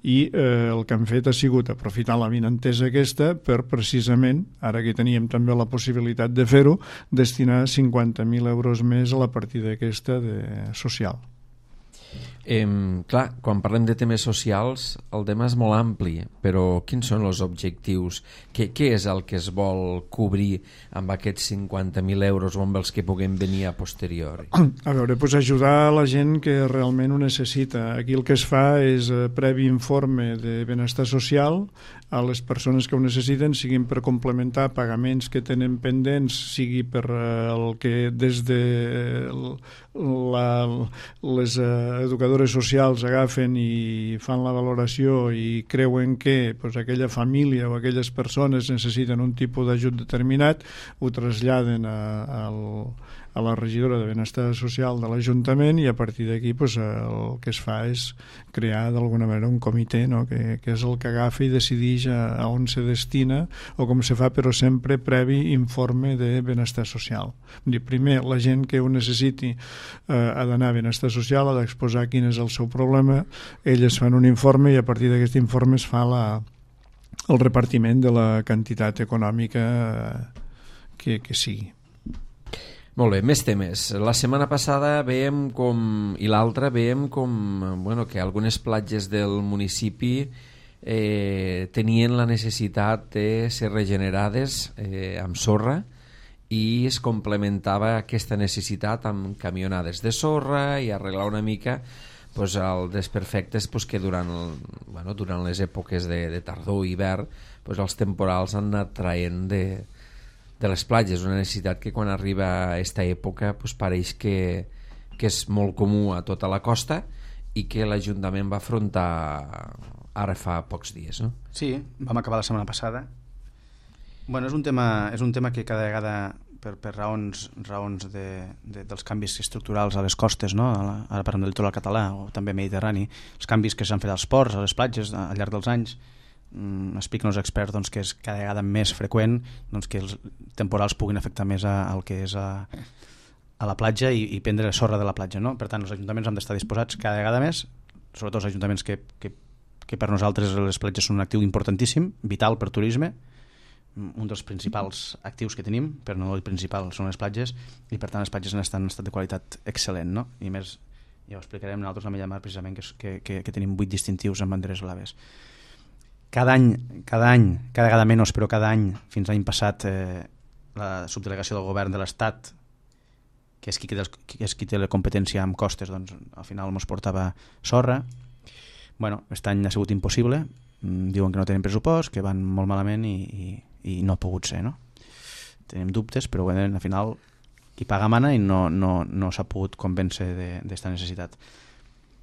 I eh, el que han fet ha sigut aprofitar la vinentesa aquesta per precisament, ara que teníem també la possibilitat de fer-ho, destinar cinquanta mil euros més a la partida aquesta de social. Eh, clar, quan parlem de temes socials el tema és molt ampli, però quins són els objectius? Què, què és el que es vol cobrir amb aquests cinquanta mil euros o amb els que puguem venir a posteriori? A veure, doncs ajudar la gent que realment ho necessita. Aquí el que es fa és eh, previ informe de benestar social a les persones que ho necessiten, siguin per complementar pagaments que tenen pendents, sigui per eh, el que des de la, les eh, educadores socials agafen i fan la valoració i creuen que pues, aquella família o aquelles persones necessiten un tipus d'ajut determinat, ho traslladen a, a, a la regidora de benestar social de l'Ajuntament i a partir d'aquí pues, el que es fa és crear d'alguna manera un comitè, no? que, que és el que agafa i decideix a, a on se destina o com se fa, però sempre previ informe de benestar social. Primer, la gent que ho necessiti eh, ha d'anar a benestar social, ha d'exposar quin és el seu problema, elles fan un informe i a partir d'aquest informe es fa la, el repartiment de la quantitat econòmica que, que sigui. Molt bé, més temes. La setmana passada veiem com, i l'altra veiem com bueno, que algunes platges del municipi eh, tenien la necessitat de ser regenerades eh, amb sorra i es complementava aquesta necessitat amb camionades de sorra i arreglar una mica pues, el desperfectes pues, que durant, el, bueno, durant les èpoques de, de tardor i hivern pues, els temporals han anat traient de, de les platges, una necessitat que quan arriba a aquesta època pues, pareix que, que és molt comú a tota la costa i que l'Ajuntament va afrontar ara fa pocs dies, no? Sí, vam acabar la setmana passada. Bueno, és un tema, és un tema que cada vegada per, per raons, raons de, de, dels canvis estructurals a les costes, no? Ara parlem del litoral català o també mediterrani, els canvis que s'han fet als ports, a les platges al llarg dels anys, mm, expliquen els experts doncs, que és cada vegada més freqüent doncs, que els temporals puguin afectar més a, al que és a, a la platja i, i prendre sorra de la platja, no? Per tant, els ajuntaments han d'estar disposats cada vegada més, sobretot els ajuntaments que, que, que per nosaltres les platges són un actiu importantíssim, vital per turisme, un dels principals actius que tenim, per no dir principal, són les platges, i per tant les platges estan en estat de qualitat excel·lent, no? I més, ja ho explicarem nosaltres a Mellamar precisament, que, que, que, que tenim vuit distintius amb banderes blaves. Cada any, cada any, cada vegada menys, però cada any, fins l'any passat, eh, la subdelegació del govern de l'Estat, que és qui, que és qui té la competència amb costes, doncs al final ens portava sorra. Bueno, aquest any ha sigut impossible, diuen que no tenen pressupost, que van molt malament i, i i no ha pogut ser, no? Tenim dubtes, però bueno, al final qui paga mana i no, no, no s'ha pogut convèncer d'esta necessitat.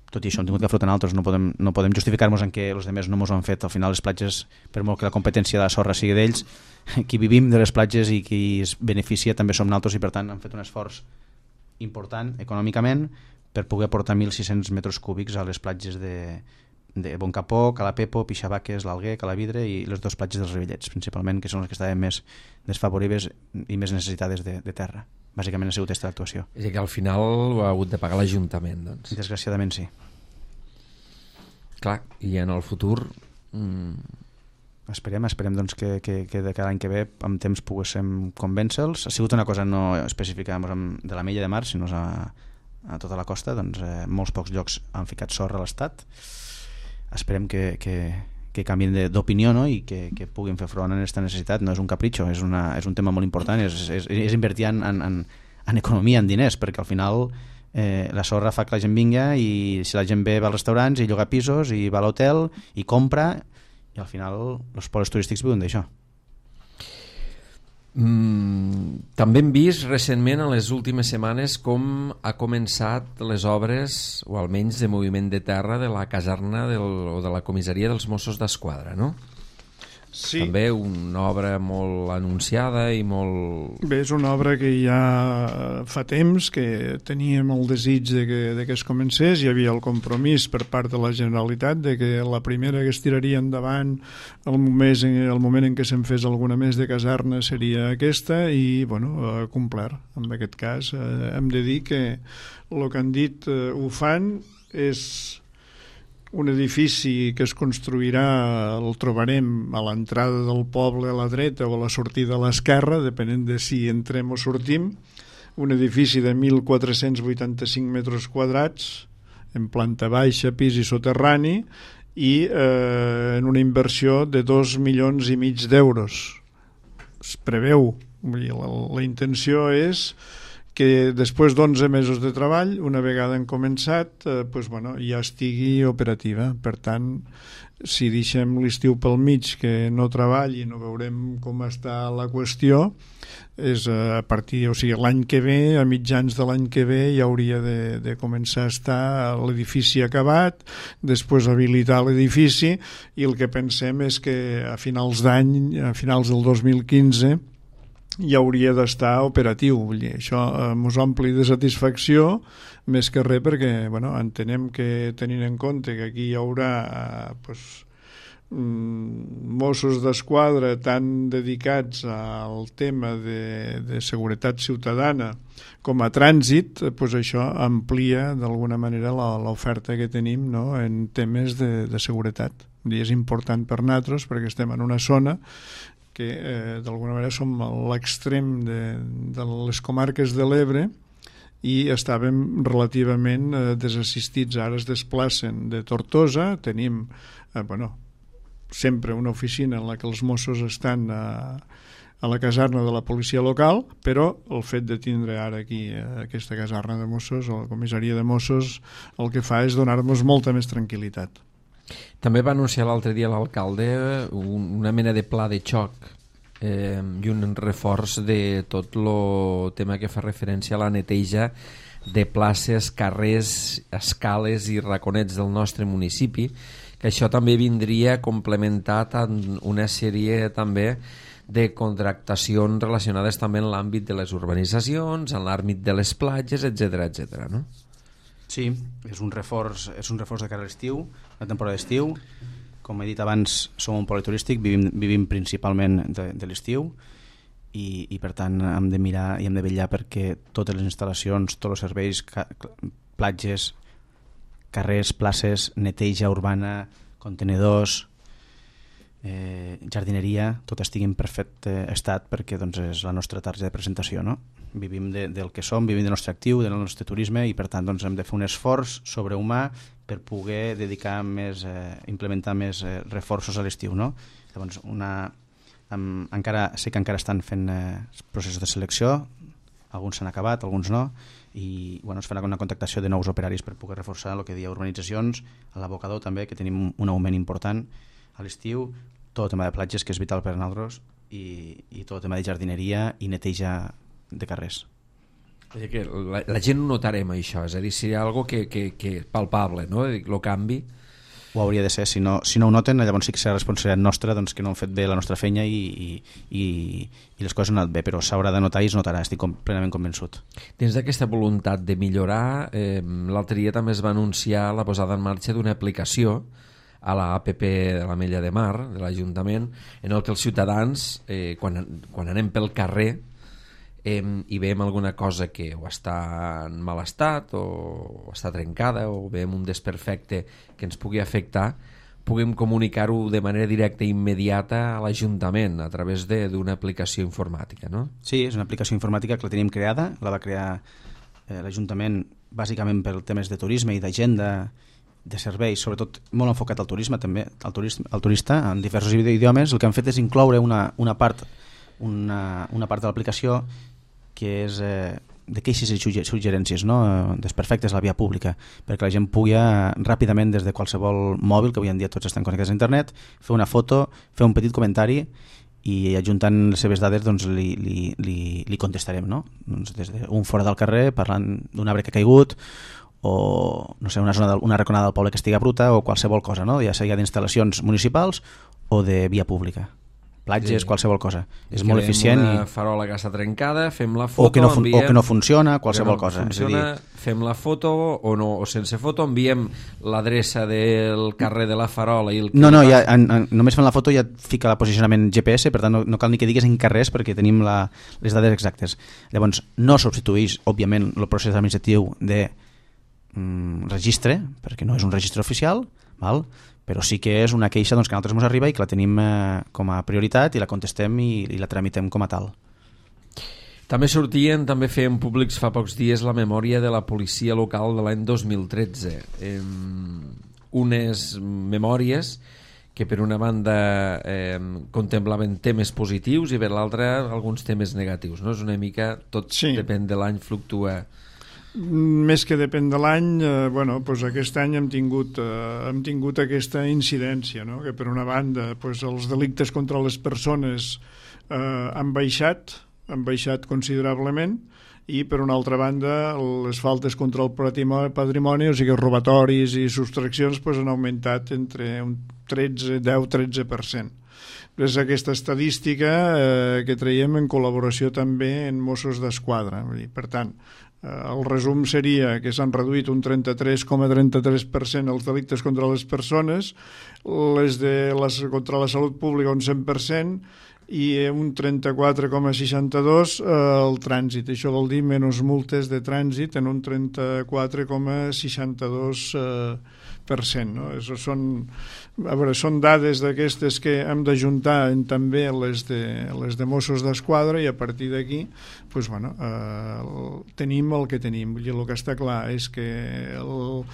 Tot i això, hem tingut que afrontar altres, no podem, no podem justificar-nos en que els altres no ens ho han fet. Al final les platges, per molt que la competència de la sorra sigui d'ells, qui vivim de les platges i qui es beneficia també som nosaltres i per tant han fet un esforç important econòmicament per poder aportar mil sis-cents metres cúbics a les platges de de Boncapó, Calapepo, Pixabaques, l'Alguer, Calavidre i les dues platges dels Rivellets, principalment, que són les que estaven més desfavorides i més necessitades de, de terra. Bàsicament ha sigut aquesta l'actuació. És que al final ho ha hagut de pagar l'Ajuntament, doncs. Desgraciadament sí. Clar, i en el futur... Mm... Esperem, esperem doncs, que, que, que de cada any que ve amb temps poguéssim convèncer-los. Ha sigut una cosa no específica de la Mella de Mar, sinó a, a tota la costa, doncs eh, molts pocs llocs han ficat sorra a l'Estat. Esperem que, que, que canvien d'opinió, no? I que, que puguin fer front a aquesta necessitat. No és un capritxo, és, una, és un tema molt important, és, és, és invertir en, en, en economia, en diners, perquè al final eh, la sorra fa que la gent vinga i si la gent ve va als restaurants i lloga pisos i va a l'hotel i compra i al final els pobles turístics viuen d'això. Mm, també hem vist recentment en les últimes setmanes com ha començat les obres, o almenys de moviment de terra, de la caserna del, o de la comissaria dels Mossos d'Esquadra, no? Sí. També una obra molt anunciada i molt... Bé, és una obra que ja fa temps que teníem el desig de que, de que es comencés. Hi havia el compromís per part de la Generalitat de que la primera que es tiraria endavant el moment, el moment en què se'n fes alguna més de caserna seria aquesta i, bueno, ha complert. En aquest cas eh, hem de dir que el que han dit eh, ho fan. És un edifici que es construirà, el trobarem a l'entrada del poble a la dreta o a la sortida a l'esquerra, depenent de si entrem o sortim, un edifici de mil quatre-cents vuitanta-cinc metres quadrats, en planta baixa, pis i soterrani, i eh, en una inversió de dos milions i mig d'euros. Es preveu, vull dir, la, la intenció és que després d'onze mesos de treball, una vegada han començat, eh, pues, bueno, ja estigui operativa. Per tant, si deixem l'estiu pel mig que no treballi, no veurem com està la qüestió, és a partir, o sigui, l'any que ve, a mitjans de l'any que ve, ja hauria de, de començar a estar l'edifici acabat, després habilitar l'edifici, i el que pensem és que a finals d'any, a finals del dos mil quinze, ja hauria d'estar operatiu. Vull dir, això ens eh, ompli de satisfacció, més que res perquè, bueno, entenem que, tenint en compte que aquí hi haurà eh, pues, mm, Mossos d'Esquadra tan dedicats al tema de, de seguretat ciutadana com a trànsit, pues això amplia d'alguna manera l'oferta que tenim, no?, en temes de, de seguretat. Vull dir, és important per nosaltres perquè estem en una zona que eh, d'alguna manera som a l'extrem de, de les comarques de l'Ebre i estàvem relativament eh, desassistits. Ara es desplacen de Tortosa, tenim eh, bueno, sempre una oficina en la que els Mossos estan a, a la caserna de la policia local, però el fet de tindre ara aquí eh, aquesta caserna de Mossos o la comissaria de Mossos el que fa és donar-nos molta més tranquil·litat. També va anunciar l'altre dia l'alcalde un, una mena de pla de xoc eh, i un reforç de tot el tema que fa referència a la neteja de places, carrers, escales i raconets del nostre municipi, que això també vindria complementat amb una sèrie també de contractacions relacionades també en l'àmbit de les urbanitzacions, en l'àmbit de les platges, etcètera, etcètera, no? Sí, és un reforç, és un reforç de cara a l'estiu, la temporada d'estiu. Com he dit abans, som un poli turístic, vivim, vivim principalment de, de l'estiu i, i per tant hem de mirar i hem de vetllar perquè totes les instal·lacions, tots els serveis, ca, platges, carrers, places, neteja urbana, contenedors, eh, jardineria, tot estigui en perfecte estat perquè doncs, és la nostra targeta de presentació, no? Vivim de, del que som, vivim del nostre actiu, del nostre turisme i per tant doncs, hem de fer un esforç sobrehumà per poder dedicar més, eh, implementar més eh, reforços a l'estiu, no? Llavors, una, amb, encara, sé que encara estan fent eh, processos de selecció, alguns s'han acabat, alguns no, i bueno, es farà una contactació de nous operaris per poder reforçar el que deia urbanitzacions, a l'abocador també, que tenim un augment important a l'estiu, tot el tema de platges, que és vital per a nosaltres, i, i tot el tema de jardineria i neteja de carrers. És que la, la gent ho notarem això, és a dir, seria algo que, que, que palpable, no? El canvi. Ho hauria de ser, si no, si no ho noten, llavors sí que serà responsabilitat nostra doncs, que no hem fet bé la nostra feina i, i, i, i les coses han anat bé, però s'haurà de notar i es notarà, estic com, plenament convençut. Dins d'aquesta voluntat de millorar, eh, l'altre dia també es va anunciar la posada en marxa d'una aplicació a la A P P de la Mella de Mar, de l'Ajuntament, en el que els ciutadans, eh, quan, quan anem pel carrer, eh, i veiem alguna cosa que o està en mal estat o, o està trencada o veiem un desperfecte que ens pugui afectar, puguem comunicar-ho de manera directa i immediata a l'Ajuntament a través d'una aplicació informàtica, no? Sí, és una aplicació informàtica que la tenim creada, la va crear eh, l'Ajuntament bàsicament per temes de turisme i d'agenda, de serveis, sobretot molt enfocat al turisme també, al turista, al turista en diversos idiomes. El que han fet és incloure una, una part una, una part de l'aplicació que és eh, de queixes i suggerències, no? Desperfectes a la via pública, perquè la gent pugui eh, ràpidament des de qualsevol mòbil, que avui en dia tots estan connectats a internet, fer una foto, fer un petit comentari i ajuntant les seves dades doncs, li, li, li, li contestarem, no? Doncs des d'un fora del carrer parlant d'un arbre que ha caigut o no sé, una, zona de, una raconada del poble que estigui bruta o qualsevol cosa, no? Ja sigui d'instal·lacions municipals o de via pública. platges, Sí. qualsevol cosa. És Que molt veiem eficient. una I... farola que està trencada, fem la foto, O que, no fun... enviem... o que no funciona, qualsevol no cosa. Funciona, és a dir, fem la foto o, no, o sense foto, enviem l'adreça del carrer de la farola i el... no, no, ja, en, en, només fent la foto ja et fica el posicionament G P S, per tant no, no cal ni que digues en carrers perquè tenim la, les dades exactes. Llavors, no substitueix, òbviament, el procés administratiu de mm, registre, perquè no és un registre oficial, val? Però sí que és una queixa doncs, que a nosaltres ens arriba i que la tenim eh, com a prioritat i la contestem i, i la tramitem com a tal. També sortien, també feien públics fa pocs dies la memòria de la policia local de l'any dos mil tretze. Eh, unes memòries que per una banda eh, contemplaven temes positius i per l'altra alguns temes negatius. No? És una mica, tot Sí. depèn de l'any, fluctua. Més que depèn de l'any, eh, bueno, doncs aquest any hem tingut, eh, hem tingut aquesta incidència, no? Que per una banda doncs els delictes contra les persones eh, han baixat, han baixat considerablement, i per una altra banda les faltes contra el patrimoni, o sigui robatoris i subtraccions, doncs han augmentat entre un tretze, deu tretze per cent. És aquesta estadística eh, que traiem en col·laboració també en Mossos d'Esquadra. Vull dir, per tant, eh, el resum seria que s'han reduït un trenta-tres coma trenta-tres per cent els delictes contra les persones, les de les, contra la salut pública un cent per cent i un trenta-quatre coma seixanta-dos eh, el trànsit. Això vol dir menys multes de trànsit en un trenta-quatre coma seixanta-dos per cent. No? Això són, a veure, són dades d'aquestes que hem d'ajuntar en també les de, les de Mossos d'Esquadra i a partir d'aquí pues, bueno, eh, tenim el que tenim. Vull dir, el que està clar és que el,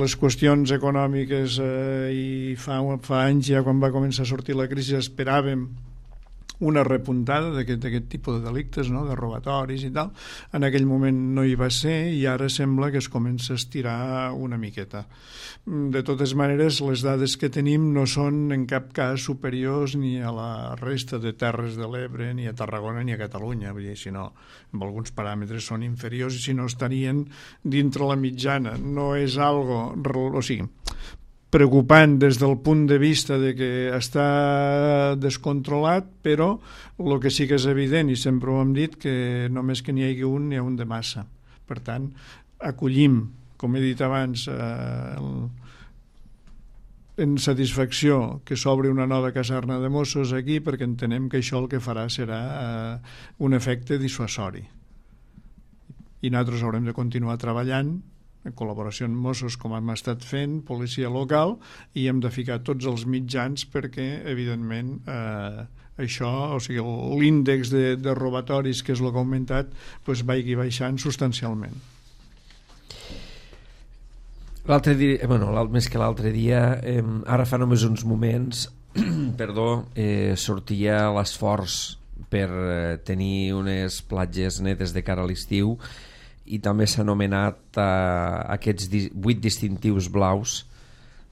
les qüestions econòmiques eh, i fa, fa anys ja quan va començar a sortir la crisi esperàvem una repuntada d'aquest tipus de delictes, no? De robatoris i tal. En aquell moment no hi va ser i ara sembla que es comença a estirar una miqueta. De totes maneres, les dades que tenim no són en cap cas superiors ni a la resta de Terres de l'Ebre, ni a Tarragona, ni a Catalunya. Vull dir, si no, amb alguns paràmetres són inferiors i si no estarien dintre la mitjana. No és algo... O sigui, preocupant des del punt de vista de que està descontrolat, però el que sí que és evident, i sempre ho hem dit, que només que n'hi hagi un, n'hi ha un de massa. Per tant, acollim, com he dit abans, eh, en satisfacció que s'obri una nova caserna de Mossos aquí, perquè entenem que això el que farà serà eh, un efecte dissuasori. I nosaltres haurem de continuar treballant en col·laboració amb Mossos, com hem estat fent, policia local, i hem de ficar tots els mitjans perquè, evidentment, eh, això, o sigui, l'índex de, de robatoris, que és el que ha augmentat, doncs vagi baixant substancialment. L'altre dia, bueno, més que l'altre dia, eh, ara fa només uns moments, perdó, eh, sortia l'esforç per eh, tenir unes platges netes de cara a l'estiu, i també s'ha anomenat eh, aquests vuit distintius blaus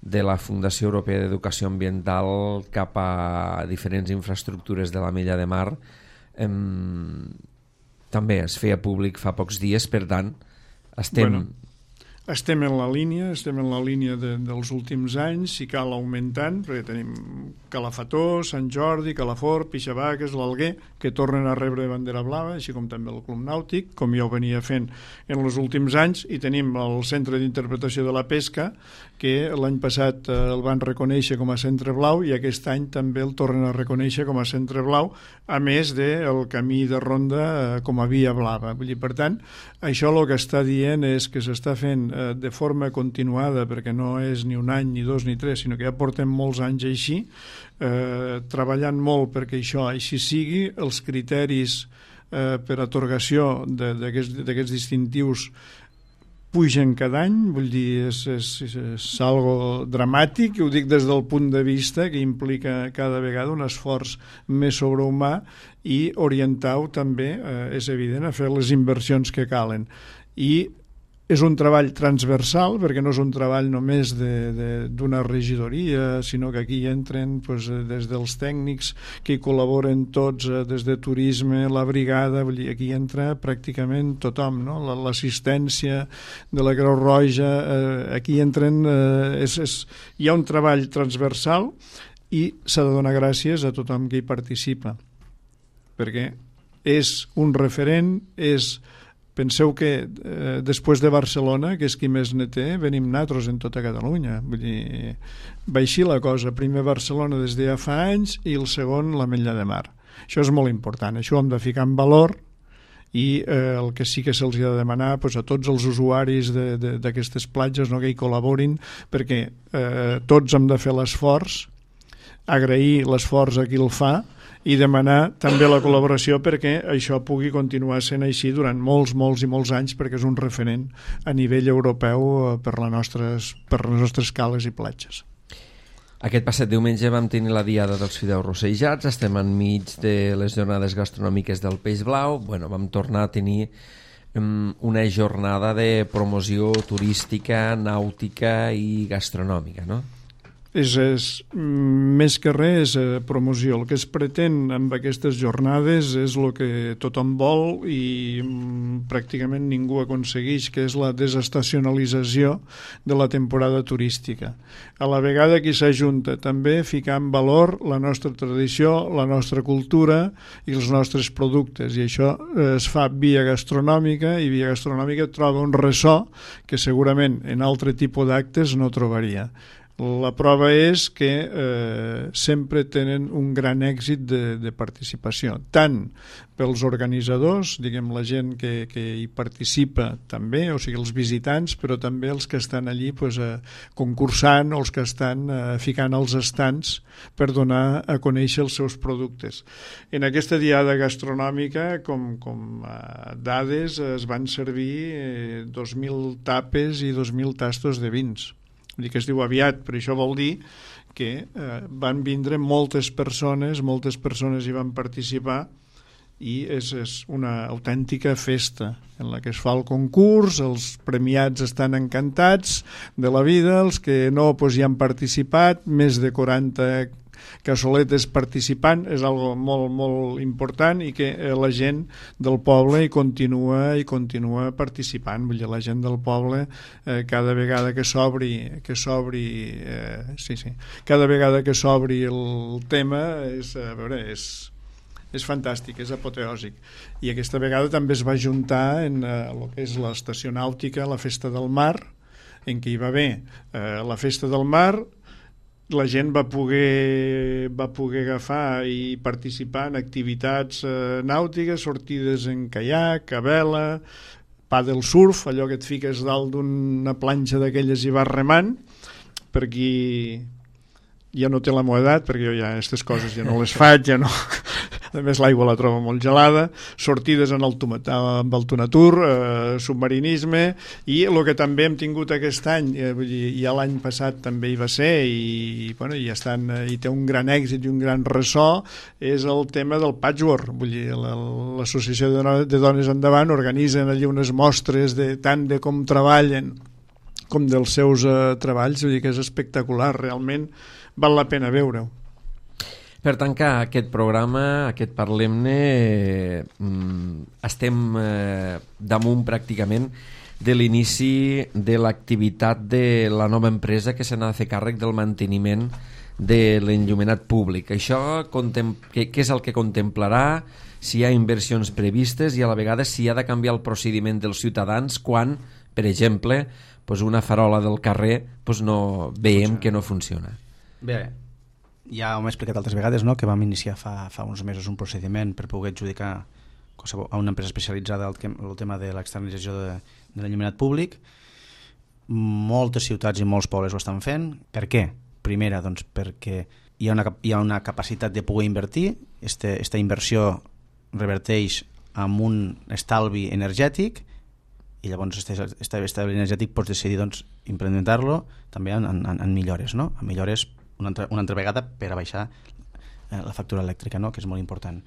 de la Fundació Europea d'Educació Ambiental cap a diferents infraestructures de la Mella de Mar. Eh, també es feia públic fa pocs dies, per tant, estem... Bueno, estem en la línia, estem en la línia de, dels últims anys, si cal augmentant, perquè tenim Calafató, Sant Jordi, Calafort, Pixabaques, l'Alguer, que tornen a rebre bandera blava, així com també el Club Nàutic, com ja ho venia fent en els últims anys, i tenim el Centre d'Interpretació de la Pesca, que l'any passat eh, el van reconèixer com a centre blau i aquest any també el tornen a reconèixer com a centre blau, a més del camí de ronda eh, com a via blava. Vull dir, per tant, això el que està dient és que s'està fent eh, de forma continuada, perquè no és ni un any, ni dos, ni tres, sinó que ja portem molts anys així, eh, treballant molt perquè això així sigui, els criteris eh, per atorgació d'aquests distintius pugen cada any, vull dir, és, és, és algo dramàtic, ho dic des del punt de vista que implica cada vegada un esforç més sobrehumà i orientar-ho també, eh, és evident, a fer les inversions que calen. I és un treball transversal, perquè no és un treball només d'una regidoria, sinó que aquí entren pues, des dels tècnics que hi col·laboren tots, des de turisme, la brigada, vull dir, aquí entra pràcticament tothom, no? L'assistència de la Creu Roja, eh, aquí entren, eh, és, és, hi ha un treball transversal i s'ha de donar gràcies a tothom que hi participa, perquè és un referent, és... Penseu que eh, després de Barcelona, que és qui més ne té, venim natros en tota Catalunya. Vull dir, va així la cosa. Primer Barcelona des de ja fa anys i el segon l'Ametlla de Mar. Això és molt important. Això ho hem de ficar en valor i eh, el que sí que se'ls ha de demanar pues, a tots els usuaris d'aquestes platges, no, que hi col·laborin, perquè eh, tots hem de fer l'esforç, agrair l'esforç a qui el fa i demanar també la col·laboració perquè això pugui continuar sent així durant molts, molts i molts anys, perquè és un referent a nivell europeu per, la nostres, per les nostres cales i platges. Aquest passat diumenge vam tenir la diada dels fideus rossejats, estem enmig de les jornades gastronòmiques del Peix Blau. Bueno, vam tornar a tenir um, una jornada de promoció turística, nàutica i gastronòmica, no? És, és, més que res, és eh, promoció. El que es pretén amb aquestes jornades és el que tothom vol i mm, pràcticament ningú aconsegueix, que és la desestacionalització de la temporada turística. A la vegada que s'ajunta també ficar en valor la nostra tradició, la nostra cultura i els nostres productes, i això eh, es fa via gastronòmica, i via gastronòmica troba un ressò que segurament en altre tipus d'actes no trobaria. La prova és que eh, sempre tenen un gran èxit de, de participació, tant pels organitzadors, diguem la gent que, que hi participa també, o sigui els visitants, però també els que estan allí pues, eh, concursant o els que estan eh, ficant els estants per donar a conèixer els seus productes. En aquesta diada gastronòmica, com, com eh, dades, es van servir eh, dos mil tapes i dos mil tastos de vins. Vull dir que es diu aviat, però això vol dir que eh, van vindre moltes persones, moltes persones hi van participar i és, és una autèntica festa en la que es fa el concurs, els premiats estan encantats de la vida, els que no pues, hi han participat, més de quaranta cassoletes participant, és algo molt, molt important i que eh, la gent del poble hi continua i continua participant. Vull dir, la gent del poble eh, cada vegada que s'obri que s'obri eh, sí, sí, cada vegada que s'obri el tema és, a veure, és és fantàstic, és apoteòsic. I aquesta vegada també es va juntar en eh, el que és l'estació nàutica, la Festa del Mar, en què hi va haver eh, la Festa del Mar. La gent va poder, va poder agafar i participar en activitats eh, nàutiques, sortides en caiac, a vela, paddle surf, allò que et fiques dalt d'una planxa d'aquelles i vas remant. Per qui ja no té la meva edat, perquè jo ja aquestes coses ja no les faig, ja no... A més, l'aigua la trobo molt gelada, sortides en el amb el Tunatur, eh, submarinisme, i el que també hem tingut aquest any, eh, vull dir, ja l'any passat també hi va ser, i, bueno, i, estan, eh, i té un gran èxit i un gran ressò, és el tema del patchwork. Vull dir, l'Associació de Dones Endavant organitzen allí unes mostres de tant de com treballen com dels seus eh, treballs, vull dir que és espectacular, realment val la pena veure-ho. Per tancar aquest programa, aquest Parlem-ne, eh, estem eh, damunt pràcticament de l'inici de l'activitat de la nova empresa que se n'ha de fer càrrec del manteniment de l'enllumenat públic. Això contem- què, què és el que contemplarà, si hi ha inversions previstes i a la vegada si ha de canviar el procediment dels ciutadans quan, per exemple, pues una farola del carrer pues no veiem que no funciona. Bé, ja ho hem explicat altres vegades, no? Que vam iniciar fa, fa uns mesos un procediment per poder adjudicar a una empresa especialitzada el, el tema de l'externalització de, de l'enllumenat públic. Moltes ciutats i molts pobles ho estan fent. Per què? Primera, doncs, perquè hi ha una, hi ha una capacitat de poder invertir. Este, esta inversió reverteix en un estalvi energètic i llavors aquest estalvi energètic pots decidir doncs, implementar-lo també en, en, en millores, no? En millores una altra, una altra vegada per a baixar eh, la factura elèctrica, no? Que és molt important.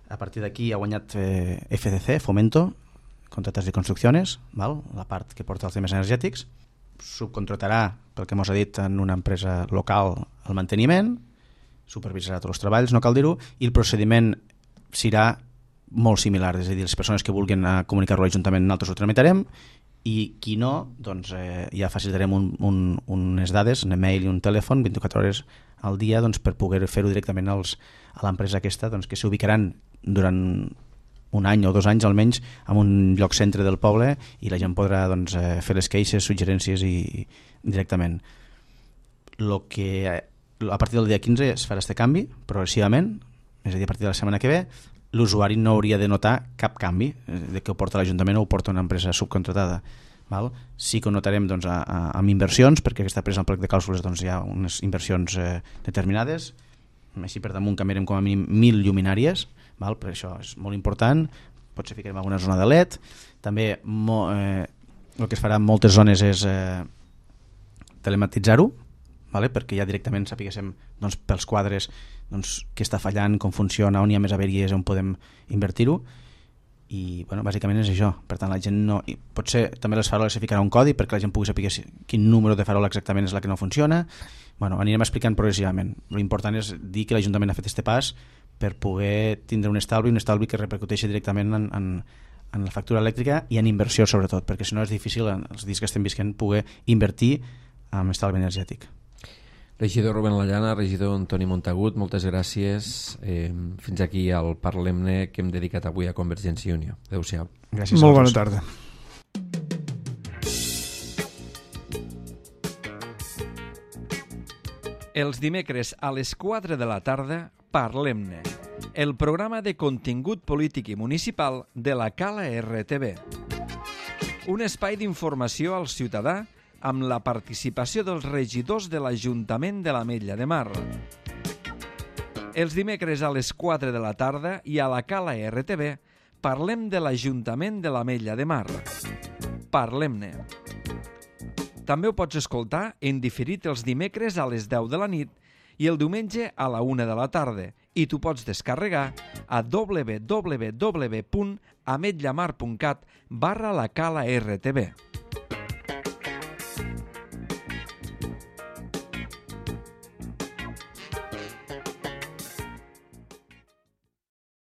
A partir d'aquí ha guanyat eh, F C C, Fomento, contrates de construcciones, val? La part que porta els temes energètics, subcontratarà, pel que mos ha dit, en una empresa local el manteniment, supervisarà tots els treballs, no cal dir-ho, i el procediment serà molt similar, és a dir, les persones que vulguin comunicar-ho a l'Ajuntament nosaltres ho tramitarem i qui no, doncs eh, ja facilitarem un, un, unes dades, un email i un telèfon vint-i-quatre hores al dia doncs, per poder fer-ho directament als, a l'empresa aquesta, doncs, que s'ubicaran durant un any o dos anys almenys en un lloc centre del poble i la gent podrà doncs, eh, fer les queixes, suggerències i, i directament. Lo que, a partir del dia quinze es farà este canvi progressivament, és a dir, a partir de la setmana que ve l'usuari no hauria de notar cap canvi de que ho porta l'Ajuntament o ho porta una empresa subcontratada. Val? Sí que ho notarem doncs, a, a, amb inversions, perquè aquesta empresa en plec de clàusules doncs, hi ha unes inversions eh, determinades, així per damunt canviarem com a mínim mil lluminàries, val? Per això és molt important, potser ficarem alguna zona de L E D, també mo, eh, el que es farà en moltes zones és eh, telematitzar-ho, vale? Perquè ja directament sapiguéssim doncs, pels quadres doncs, què està fallant, com funciona, on hi ha més averies, on podem invertir-ho, i bueno, bàsicament és això. Per tant, la gent no... I potser també les faroles se ficarà un codi perquè la gent pugui saber quin número de farola exactament és la que no funciona. Bueno, anirem explicant progressivament. L'important és dir que l'Ajuntament ha fet este pas per poder tindre un estalvi, un estalvi que repercuteixi directament en, en, en la factura elèctrica i en inversió sobretot, perquè si no és difícil en els dies que estem visquent poder invertir en estalvi energètic. Regidor Rubén Lallana, regidor Antoni Montagut, moltes gràcies. Eh, fins aquí al Parlem-ne que hem dedicat avui a Convergència i Unió. Adéu-siau. Gràcies. Molt bona tarda. Els dimecres a les quatre de la tarda, Parlem-ne, el programa de contingut polític i municipal de la Cala R T V. Un espai d'informació al ciutadà amb la participació dels regidors de l'Ajuntament de l'Ametlla de Mar. Els dimecres a les quatre de la tarda i a la Cala R T V parlem de l'Ajuntament de l'Ametlla de Mar. Parlem-ne. També ho pots escoltar en diferit els dimecres a les deu de la nit i el diumenge a la una de la tarda i tu pots descarregar a w w w punt ametllamar punt cat barra la Cala R T V.